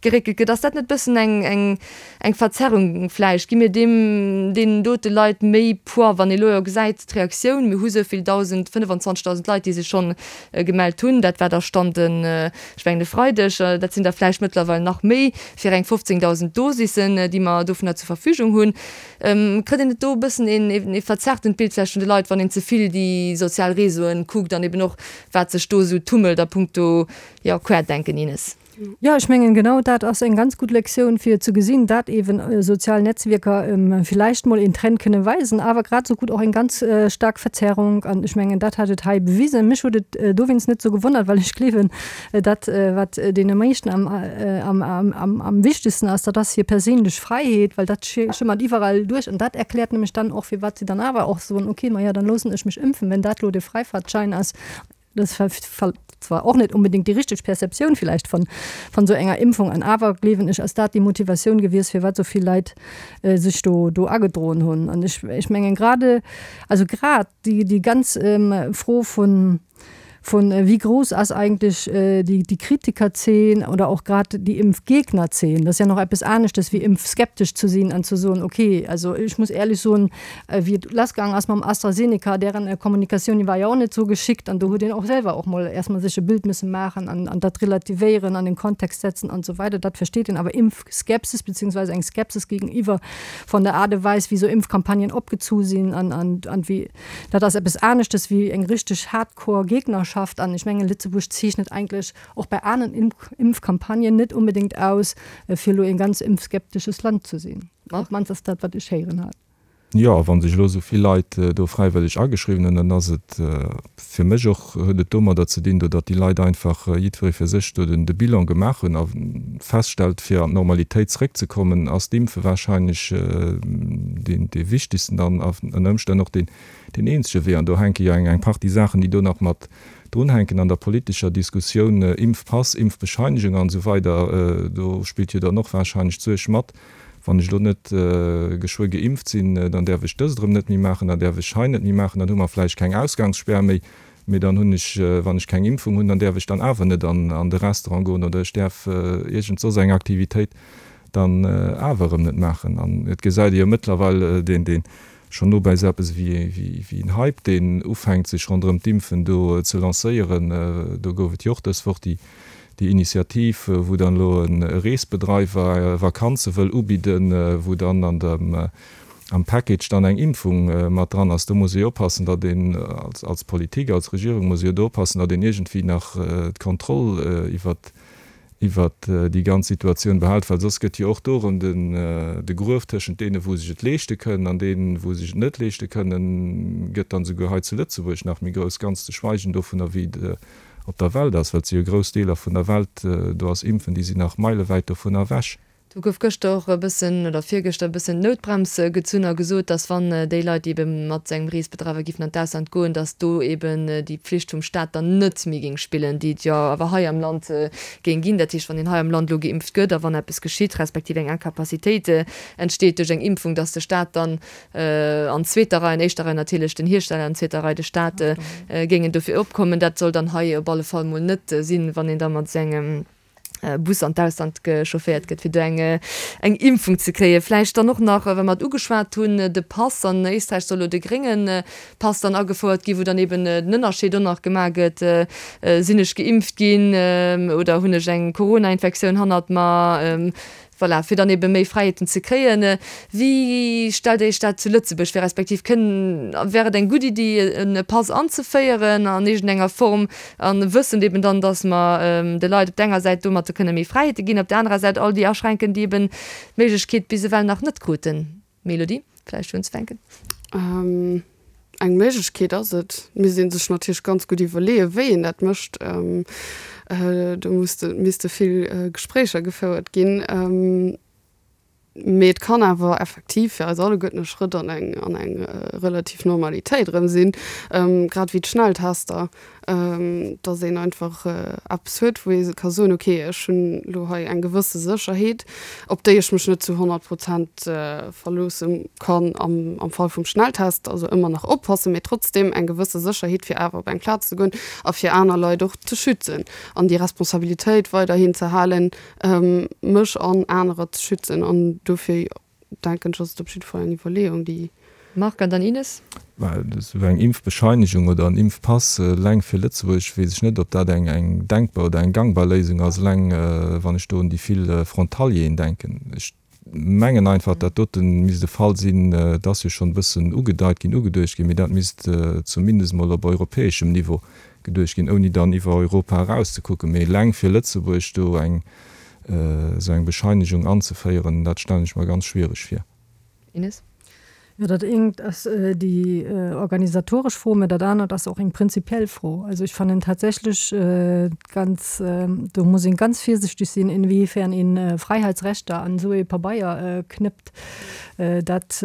geréckelt gëtt. Ass dat net e bëssen eng, eng, eng Verzerrung vläicht? Gi mir deem, deenen dote Leit méi Poids, wann ee lo jo gesäit d'Reaktioun, mir hu sou vill 1.000, 25.000 Leit, déi sech schonn gemellt hunn, dat war da Stand en, ech mengen e Freideg, dat sinn der vläicht mëttlerweil nach méi, fir eng 15.000 Dosissen, déi mer dovunner zur Verfügung hunn. Kritt een net do e bëssen een ee verzerrtent Bild vläicht vun de Leit, wann een ze vill déi sozial Réseauen kuckt an eben och wat sech do esou tummelt a punkto, jo, Querdenken, Ines?
Jo, ech mengen, genau dat ass eng ganz gutt Lektioun, fir ze gesinn, dat eben sozial Netzwierker villäicht mol een Trend kënne weisen, awer grad esou gutt och eng ganz staark Verzerrung. An ech mengen, dat hat et hei bewisen. Mech huet et dowéinst net esou gewonnert, well ech gleewen, Dat, wat deene meeschten am wichtegsten ass, dat ass hir perséinlech Fräiheet, well dat schëmmert iwwerall duerch. An dat erkläert nämlech dann och, firwat si dann awer och soen, okay, maja, dann loossen ech mech ëmpfen, wenn dat elo de Fräifaartschein ass. Dat ass zwar och net unbedéngt déi richteg Perceptioun villäicht vun esou enger Impfung, an awer gleewen ech, ass dat déi Motivatioun gewiescht, firwat esou vill Leit sech do agedroen hunn. An ech mengen grade, also grad déi ganz Fro vun, Vun wéi grouss ass eigentlech déi Kritikerzeen oder och grad déi Impfgegnerzeen? Dat ass ja nach eppes aneschtes wéi impfskeptesch ze sinn an ze soen, okay, also ech muss éierlech soen, wéi et lassgaang ass mam AstraZeneca, dären Kommunikatioun, déi war jo och net esou geschickt an do huet een och selwer och mol erst mol sech e Bild musse maachen an an dat relativéieren, an den Kontext setzen an esou weider. Dat versteet een. Awer Impfskepsis beziehungsweise eng Skepsis gegenüber von der Aart a Weis, wéi esou Impfcampagnen opgezu sinn an an an wéi, Dat ass eppes aneschtes wéi eng richteg hardcore Gegnerschaft. An ech mengen, Lëtzebuerg zeechnet eigentlech och bei aneren Impfcampagnen net unbedéngt aus, fir elo e ganz impfskeptesches Land ze sinn. Op d'mannst ass dat, wat ech héieren hat.
Jo, a wa sech elo esou vill Leit do fräiwëlleg ageschriwwen hunn, dann ass et fir mech och, huet et domadder ze dinn, do datt déi Leit einfach jiddweree fir sech do de Bilan gemaach hunn a feststellt, fir an d'Normalitéit zeréckzekommen, ass d'Impfe wahrscheinlech deen dee wichtigsten an ënner Ëmstänn och deen deen eenzege Wee. An do hänke jo eng eng Partie Saachen, déi do nach mat drunhänken an der politescher Diskussioun, Impfpass, Impfbescheinigung an esou weider, do spillt jo dann och wahrscheinlech d'Suerg mat, wann ech elo net geschwë geimpft sinn, dann däerf ech dëst erëm net méi maachen, dann däerf ech hei net méi maachen, dann hu mer vläicht keng Ausgangsspär méi, Mee dann hunn ech, wann ech keng Impfung hunn, dann däerf ech dann awer net an de Restaurant goen oder ech däerf iergend soss eng Aktivitéit dann awer erëm net maachen. An et gesäit ee jo mëttlerweil deen, deen schonn nobäi esou eppes wéi en Hype, deen ufänkt sech ronderëm d'Impfen do ze lancéieren. Do gouf et jo och dës Woch déi Initiativ, wou dann elo e Reesbedreiwer Vakanze wëll ubidden, wou dann an dem am Package dann eng Impfung mat dran ass, do muss ee jo oppassen, datt een als Politik, als Regierung muss ee jo do oppassen, datt een iergendwéi nach d'Kontroll iwwert iwwert déi ganz Situatioun behält, well soss gëtt jo och do erëm den de Gruef tëschent deene wou sech et leeschte kënnen an deenen wou sech et net leeschte kënnen, gëtt dann esouguer hei zu Lëtzebuerg nach méi grouss, ganz ze schweigen dovunner wéi et op der Welt ass, well et si jo grouss Deeler vun der Welt, do ass Impfen, déi sinn nach meilewäit dovunner ewech.
Do gouf gëschter och e bëssen, oder virgëschter e bëssen d'Noutbrems gezunn a gesot, datt wann déi Leit, déi ebe mat engem Reesbedreiwer giffen an d'Ausland goen, datt do eben déi Pflicht vum Staat dann net méi géing spillen, déi et jo awer hei am Land géing ginn. Dat heescht, wann een hei am Land elo geimpft gëtt a wann eppes geschitt, respektiv eng Incapacitéit entsteet duerch eng Impfung, datt de Staat dann an zweeter Rei, an éischter Rei natierlech den Hiersteller, an zweeter Rei de Staat géingen dofir opkommen. Dat soll dann hei op alle Fall mol net sinn, wann een da mat esou engem. Bus an d'Ausland chaufféiert gëtt, fir do eng eng Impfung ze kréien. Vläicht dann och nach, well mer et ugeschwat hunn, de Pass. An Éisträich soll elo de grénge Pass dann agefouert ginn, wou dann eben den Ënnerscheed och nach gemaach gëtt, Sinn ech geimpft ginn oder hunn ech eng Corona-Infektioun hannert mer? Voilà, fir dann ebe méi Fräiheeten ze kréien. Wéi stellt Dir Iech dat zu Lëtzebuerg vir, respektiv kënn, wär et eng gutt Iddi, e Pass anzeféieren an iergendenger Form, a wëssend eben dann, datt mer de Leit op der enger Säit domatter kënne méi Fräiheete ginn, op der anerer Säit all déi aschränken, déi eben d'Méiglechkeet bis ewell nach net kruten? Mélodie, vläicht fir unzefänken.
Eng Méiglechkeet ass et. Et misst ee sech natierlech ganz gutt iwwerleeën, wéi een dat mécht. Do misste vill Gespréicher gefouert ginn. Mee et kann awer effektiv fir eis alleguerten e Schrëtt an eng, an eng relativ Normalitéit erëm sinn, grad wéi d'Schnelltester. dass een einfach eppes huet, wou ee ka soen, okay, ech hunn elo hei eng gewësse Sécherheet, op déi ech mech net zu 100 Prozent verloosse kann am am Fall vum Schnelltest, also ëmmer nach oppassen, mee trotzdem eng gewësse Sécherheet, fir awer op eng Plaz ze goen a fir aner Leit och ze schützen an déi Responsabilitéit weiderhin ze halen, mech an anerer ze schützen. An dofir denken ech, ass et op jidde Fall eng Iwwerleeung, déi.
Marc an dann Ines.
Well esou eng Impfbescheinegung oder en Impfpass eleng fir Lëtzebuerg, weess ech net, ob dat eng eng denkbar oder eng gangbar Léisung ass, eleng wann ech do un déi vill Frontalieren denken. Ech mengen einfach, dat dote misst e Fall sinn, et ass jo schonn e bëssen ugedeit ginn, ugeduecht ginn, mee dat misst zumindest emol op europäeschem Niveau geduecht ginn, ouni dann iwwer Europa eraus ze kucken. Mee eleng fir Lëtzebuerg do eng esou eng Bescheinegung anzeféieren, dat stellen ech mer ganz schwiereg vir.
Ines?
Jo, dat eent ass déi organisatoresch Fro, mä dat anert ass och eng prinzipiell Fro. Also ech fannen tatsächlech ganz, do muss een ganz virsichtig sinn, inwiefern een Freiheitsrechter an esou ee Pabeier knëppt. Dat,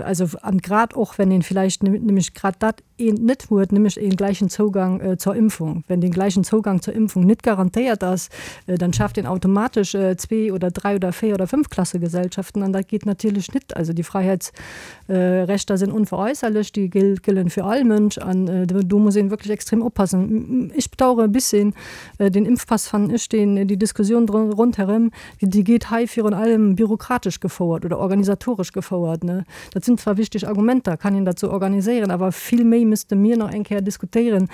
also an grad och wenn een vielleicht nämlech grad dat eent net huet, nämlech een gleichen Zougang zur Impfung. Wenn den gleichen Zougang zur Impfung net garantéiert ass, dann schaaft een automatesch zwee oder dräi oder véier oder fënnf Klassegesellschaften an dat geet natierlech net. Also déi Fräiheetsrechter sinn onveräusserlech, déi gëllen fir all Mënsch an do muss een wierklech extrem oppassen. Ech bedauere e bisschen den Impfpass, fannen ech, deen, déi Diskussioun rondherëm, Déi geet hei virun allem bürokratesch gefouert oder organisatoresch gefouert. Dat sinn zwar wichteg Argumenter, kann een dat sou organiséieren, awer vill méi misste mir nach eng Kéier diskutéieren,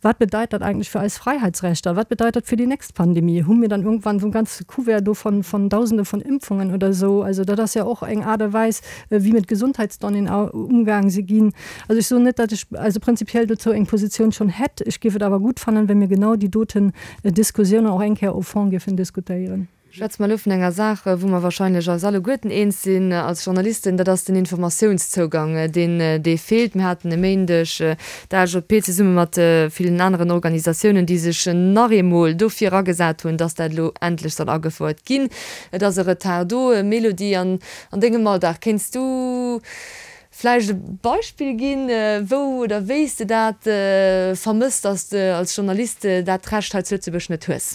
Wat bedeit dat eigentlech fir eis Fräiheitsrechter? Wat bedeit dat fir déi nächst Pandemie? Hu mir dann irgendwann esou e ganze Couvert do von, von Dausende von Impfungen oder esou? Also dat ass jo och eng Aart a Weis, wéi mit Gesundheitsdonnéeën umgaang si ginn. Also ech soen net, datt ech also prinzipiell dozou eng Positioun schonn hätt. Ech géif et awer gutt fannen, wa mir genau déi doten Diskussioun och eng Kéier au fond géifen diskutéieren.
Schwätze mer elo vun enger Saach, wou mer wahrscheinlech eis alleguerten eens sinn als Journalisten, dat ass den Informatiounszougang, deen, dee feelt. Mir haten e Méindeg d'ALJP zesumme mat villen aneren Organisatiounen, déi sech nach eemol dofir agesat hunn, dass dat elo endlech soll agefouert ginn. Et ass e Retard do. Mélodie, an dengem Alldag, kéints du vläicht e Beispill ginn, wou oder wéi s de dat vermësst, dass de als Journalist dat Recht hei zu Lëtzebuerg net hues?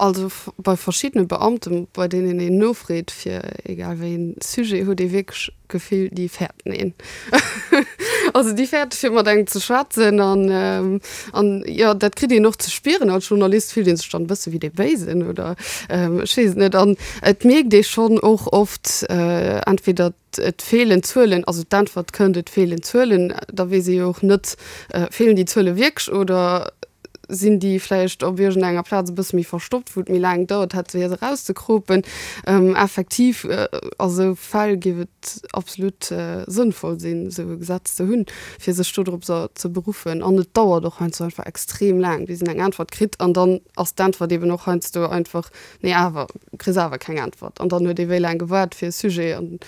Also bei verschiddene Beamten, bei deenen een nofreet fir egal wéi een Sujet, huet ee wierklech d'Gefill, déi fäerten een. Also déi fäerte fir mat engem ze schwätzen an an jo, dat kritt een och ze spieren. Als Journalist fillt ee sech dann e bësse wéi dee Béisen oder ech weess et net. An et mierkt ee schonn och oft, entweder et feelen Zuelen, also d'Äntwert kënnt, et feelen Zuelen, da weess ee jo och net, feelen déi Zuele wierklech oder sinn déi vläicht op iergendenger Plaz e bësse méi verstoppt, wou et méi laang gedauert hätt, fir se erauszekropen. Effektiv, a sou Fäll géif et absolut sënnvoll sinn, esou e Gesetz ze hunn, fir sech dodrop ze beruffen. An et dauert och heiansdo einfach extrem laang, bis een eng Äntwert kritt. An dann ass d'Äntwert eeben och heiansdo einfach, Nee, awer, kriss awer keng Äntwert. An dann huet ee wéi laang gewaart fir e Sujet an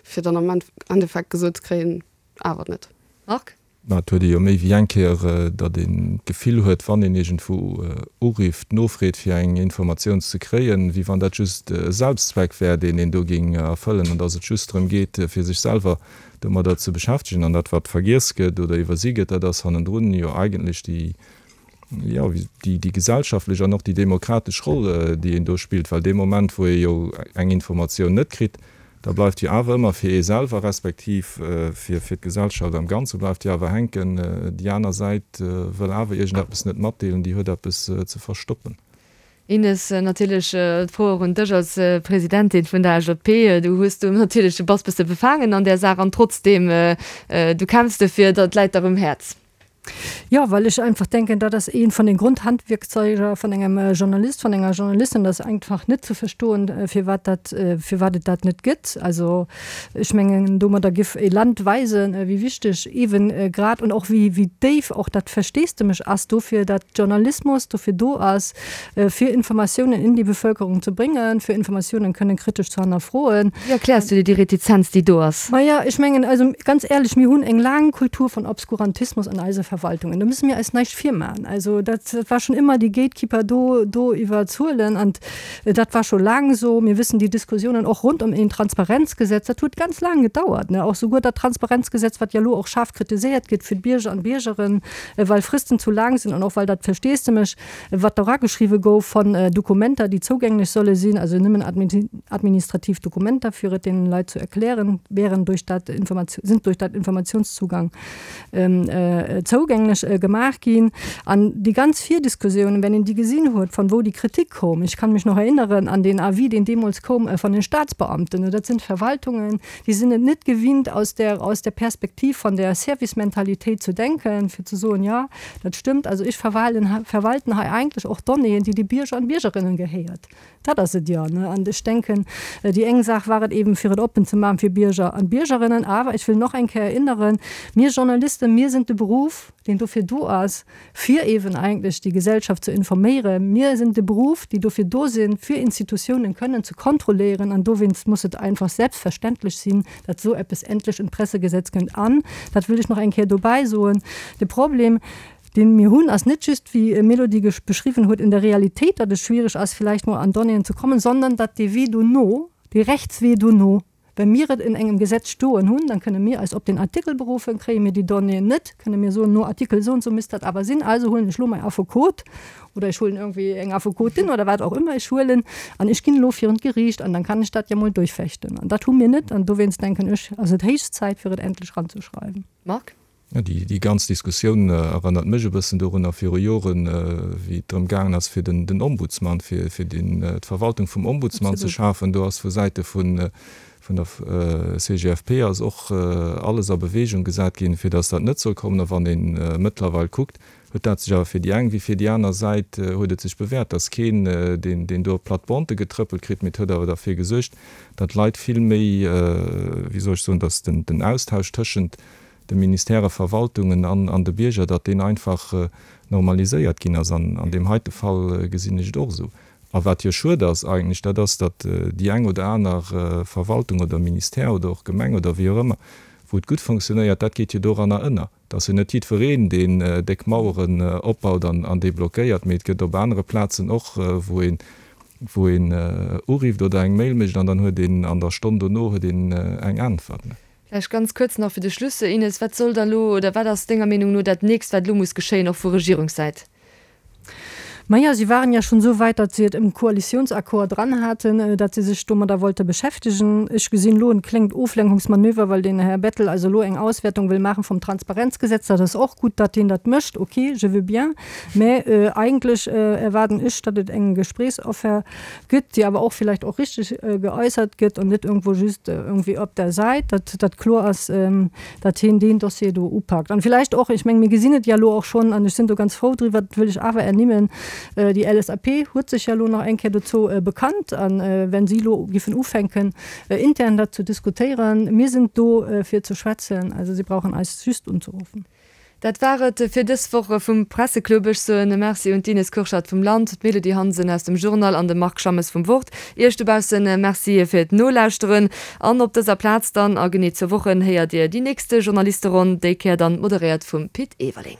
fir dann am Endeffekt gesot ze kréien, awer net.
Marc?
Mä et huet ee jo méi wéi eng Kéier, datt een d'Gefill huet, wann een iergendwou urifft, nofreet fir eng Informatioun ze kréien, wéi wann dat just e Selbstzweck wär, deen een do géing erfëllen an datt et just drëm geet, fir sech selwer domadder ze beschäftegen. An dat, wat vergiess gëtt oder iwwersi gëtt, dat ass hannendrun jo eigentlech déi, jo, déi, déi gesellschaftlech an och déi demokratesch Roll, déi een do spillt, well dee Moment, wou ee jo eng Informatioun net kritt, da bleift jo awer ëmmer fir ee selwer respektiv fir, fir d'Gesellschaft am Ganze bleift jo awer hänken, déi aner Säit wëll awer iergendeppes net matdeelen, déi huet eppes ze verstoppen.
Ines, natierlech d'Fro och un dech als Presidentin vun der AJP. Du hues do natierlech, du bass bësse befaangen an där Saach an trotzdeem, du kämpfs dofir, dat läit der um Häerz.
Jo, well ech einfach denken, dat ass eent vun den Grundhandwierkzeuger vun engem Journalist, vun enger Journalistin, dat ass einfach net ze verstoen, firwat dat, firwat et dat net gëtt. Also ech mengen, domadder giff e Land weisen, wéi wichteg eeben grad und och wéi, wéi déif och dat Versteesdemech ass dofir, dat Journalismus dofir do ass, fir Informatiounen in déi Bevölkerung ze bréngen, fir Informatiounen kënnen kritesch ze hannerfroen.
Wéi erkläers du dir déi Retizenz, déi do ass?
Maja, ech mengen, also ganz éierlech, mir hunn eng laang Kultur von Obskurantismus an eise Verwaltungen. Do müsse mir eis näischt virmachen. Also dat war schon ëmmer déi Gatekeeper do, do iwwer Zuelen an dat war scho laang esou. Mir wëssen déi Diskussionen och rund ëm een Transparenzgesetz, dat huet ganz laang gedauert, ne, och souguer dat Transparenzgesetz, wat jo elo och schaarf kritiséiert gëtt fir d'Bierger an d'Biergeren, well Fristen zu laang sinn an och well dat Versteesdemech wat erageschriwwe gouf von Dokumenter, déi zougänglech solle sinn, also nëmmen administrativ Dokumenter, fir et deenen Leit zu erklären, wären durch dat sind durch dat Informationszugang zougänglech gemaach ginn. An déi ganz Virdiskussiounen, wenn een déi gesinn huet, von wou déi Kritik koum, ich kann mich noch erinnern an den Avis, deen deemools koum von den Staatsbeamten, dat sinn Verwaltungen, déi sinn et net gewinnt, aus der, aus der Perspektiv von der Servicementalitéit zu denken, fir ze soen, jo, Dat stëmmt. Also ech verwalen, verwalten hei eigentlech och Donnéeën, déi de Bierger an Biergerinnen gehéiert. Dat ass et jo, ne? An ech denken, déi eng Saach war et eben, fir et oppen ze maachen fir Bierger an Biergerinnen. Awer ech wëll noch eng Kéier erinneren, Mir Journalisten, mir sinn de Beruff, deen dofir do ass, fir eben eigentlech déi Gesellschaft ze informéieren. Mir sinn de Beruff, déi dofir do sinn, fir Institutiounen kënnen ze kontrolléieren. An dowéinst muss et einfach selbstverständlech sinn, datt esou eppes endlech en d'Pressegesetz kënnt. An, dat wëll ech nach eng Kéier dobäi soen, de Problem, dee mir hunn, ass net just, wéi d'Mélodie beschriwwen huet, in der Realitéit, datt et schwierig ass, villäicht mol an Donnéeën ze kommen, sondern datt dee Wee dono, dee Rechtswee dono, wa mir et in engem Gesetz stoen hunn, dann kënne mir eis op deen Artikel beruffen, kréie mir déi Donnéeën net, kënne mir soen, no Artikel esou und esou misst dat awer sinn, also huelen ech elo mäi Affekot oder ech huelen irgendwie eng Affekotin oder wat och ëmmer ech huelen an ech ginn elo virun d'Geriicht an dann kann ech dat jo mol duerchfechten. An dat hu mir net an dowéinst denken ech, ass et héich Zäit fir et endlech ranzeschreiwen.
Marc?
Jo, déi ganz Diskussioun erënnert mech e bëssen dorunner viru Joren, wéi et drëm gaangen ass fir den Ombudsman, fir d'Verwaltung vum Ombudsman ze schafen. Do ass vu Säite vun der CGFP ass och alles a Bewegung gesat ginn, fir datt dat net soll kommen. A wann ee mëttlerweil kuckt, huet dat sech awer fir déi eng wéi fir déi aner Säit huet et sech bewährt, dass keen, deen, deen do op d'Plattebande getrëppelt kritt, mee et huet awer derfir gesuergt, datt d'Leit vill méi, wéi soll ech soen, datt den, den Austausch tëschent de Ministèrë, Verwaltungen an, an de Bierger, datt deen einfach normaliséiert ginn ass. An an deem heite Fall gesinn ech et och esou. A wat jo schued ass eigentlech, dat ass, datt déi eng oder aner Verwaltung oder Ministère oder och Gemeng oder wéi och ëmmer, wou et gutt fonctionnéiert, dat geet jo doranner ënner. Et ass jo net jiddwereen, deen déck Maueren opbaut an déi blockéiert, mee et gëtt op anere Plazen och, wou een, wou een urifft oder eng Mail mécht an dann huet een an der Stonn dono huet een eng Äntwert.
Vläicht ganz kuerz nach fir de Schluss, Ines, Wat soll da elo oder wat ass denger Meenung no dat Nächst, wat elo muss geschéien, och vu Regierungssäit?
Maja, si waren ja schon esou wäit, datt si et im Koalitionsaccord dran haten, datt si sech domadder wollte beschäftegen. Ech gesinn elo en kléngt Oflenkungsmanöver, well den Här Bettel also elo eng Auswäertung wëll maachen vum Transparenzgesetz. Dat ass och gutt, datt deen dat mécht, ok, je veux bien. Mä eigentlech erwaarden ech, datt et eng Gesprächsoffer gëtt, déi awer och vielleicht och richtig geäussert gëtt an net irgendwo just irgendwie op der Säit, datt dat kloer ass, datt hien deen Dossier do upakt. An vielleicht och, ech meng, mir gesinn et ja elo och schonn, an ech sinn do ganz frou driwwer, dat wëll ech awer ernimmen, déi LSAP huet sech ja elo nach eng Kéier dozou bekannt, a wenn si elo giffen ufänken, intern dat ze diskutéieren, mir sinn do fir ze schwätzen, also si brauchen eis just unzeruffen.
Dat war et fir dës Woch vum Presseclub. Ech soen e Merci un d'Ines Kurschat vum Land, d'Mélodie Hansen aus dem Journal an de Marc Schammes vum Wort. Iech dobaussen Merci fir d'Nolauschteren. An op dëser Plaz dann a genee zwou Wochen héiert Dir déi nächste Journalisteronn, déi Kéier dann moderéiert vum Pit Everling.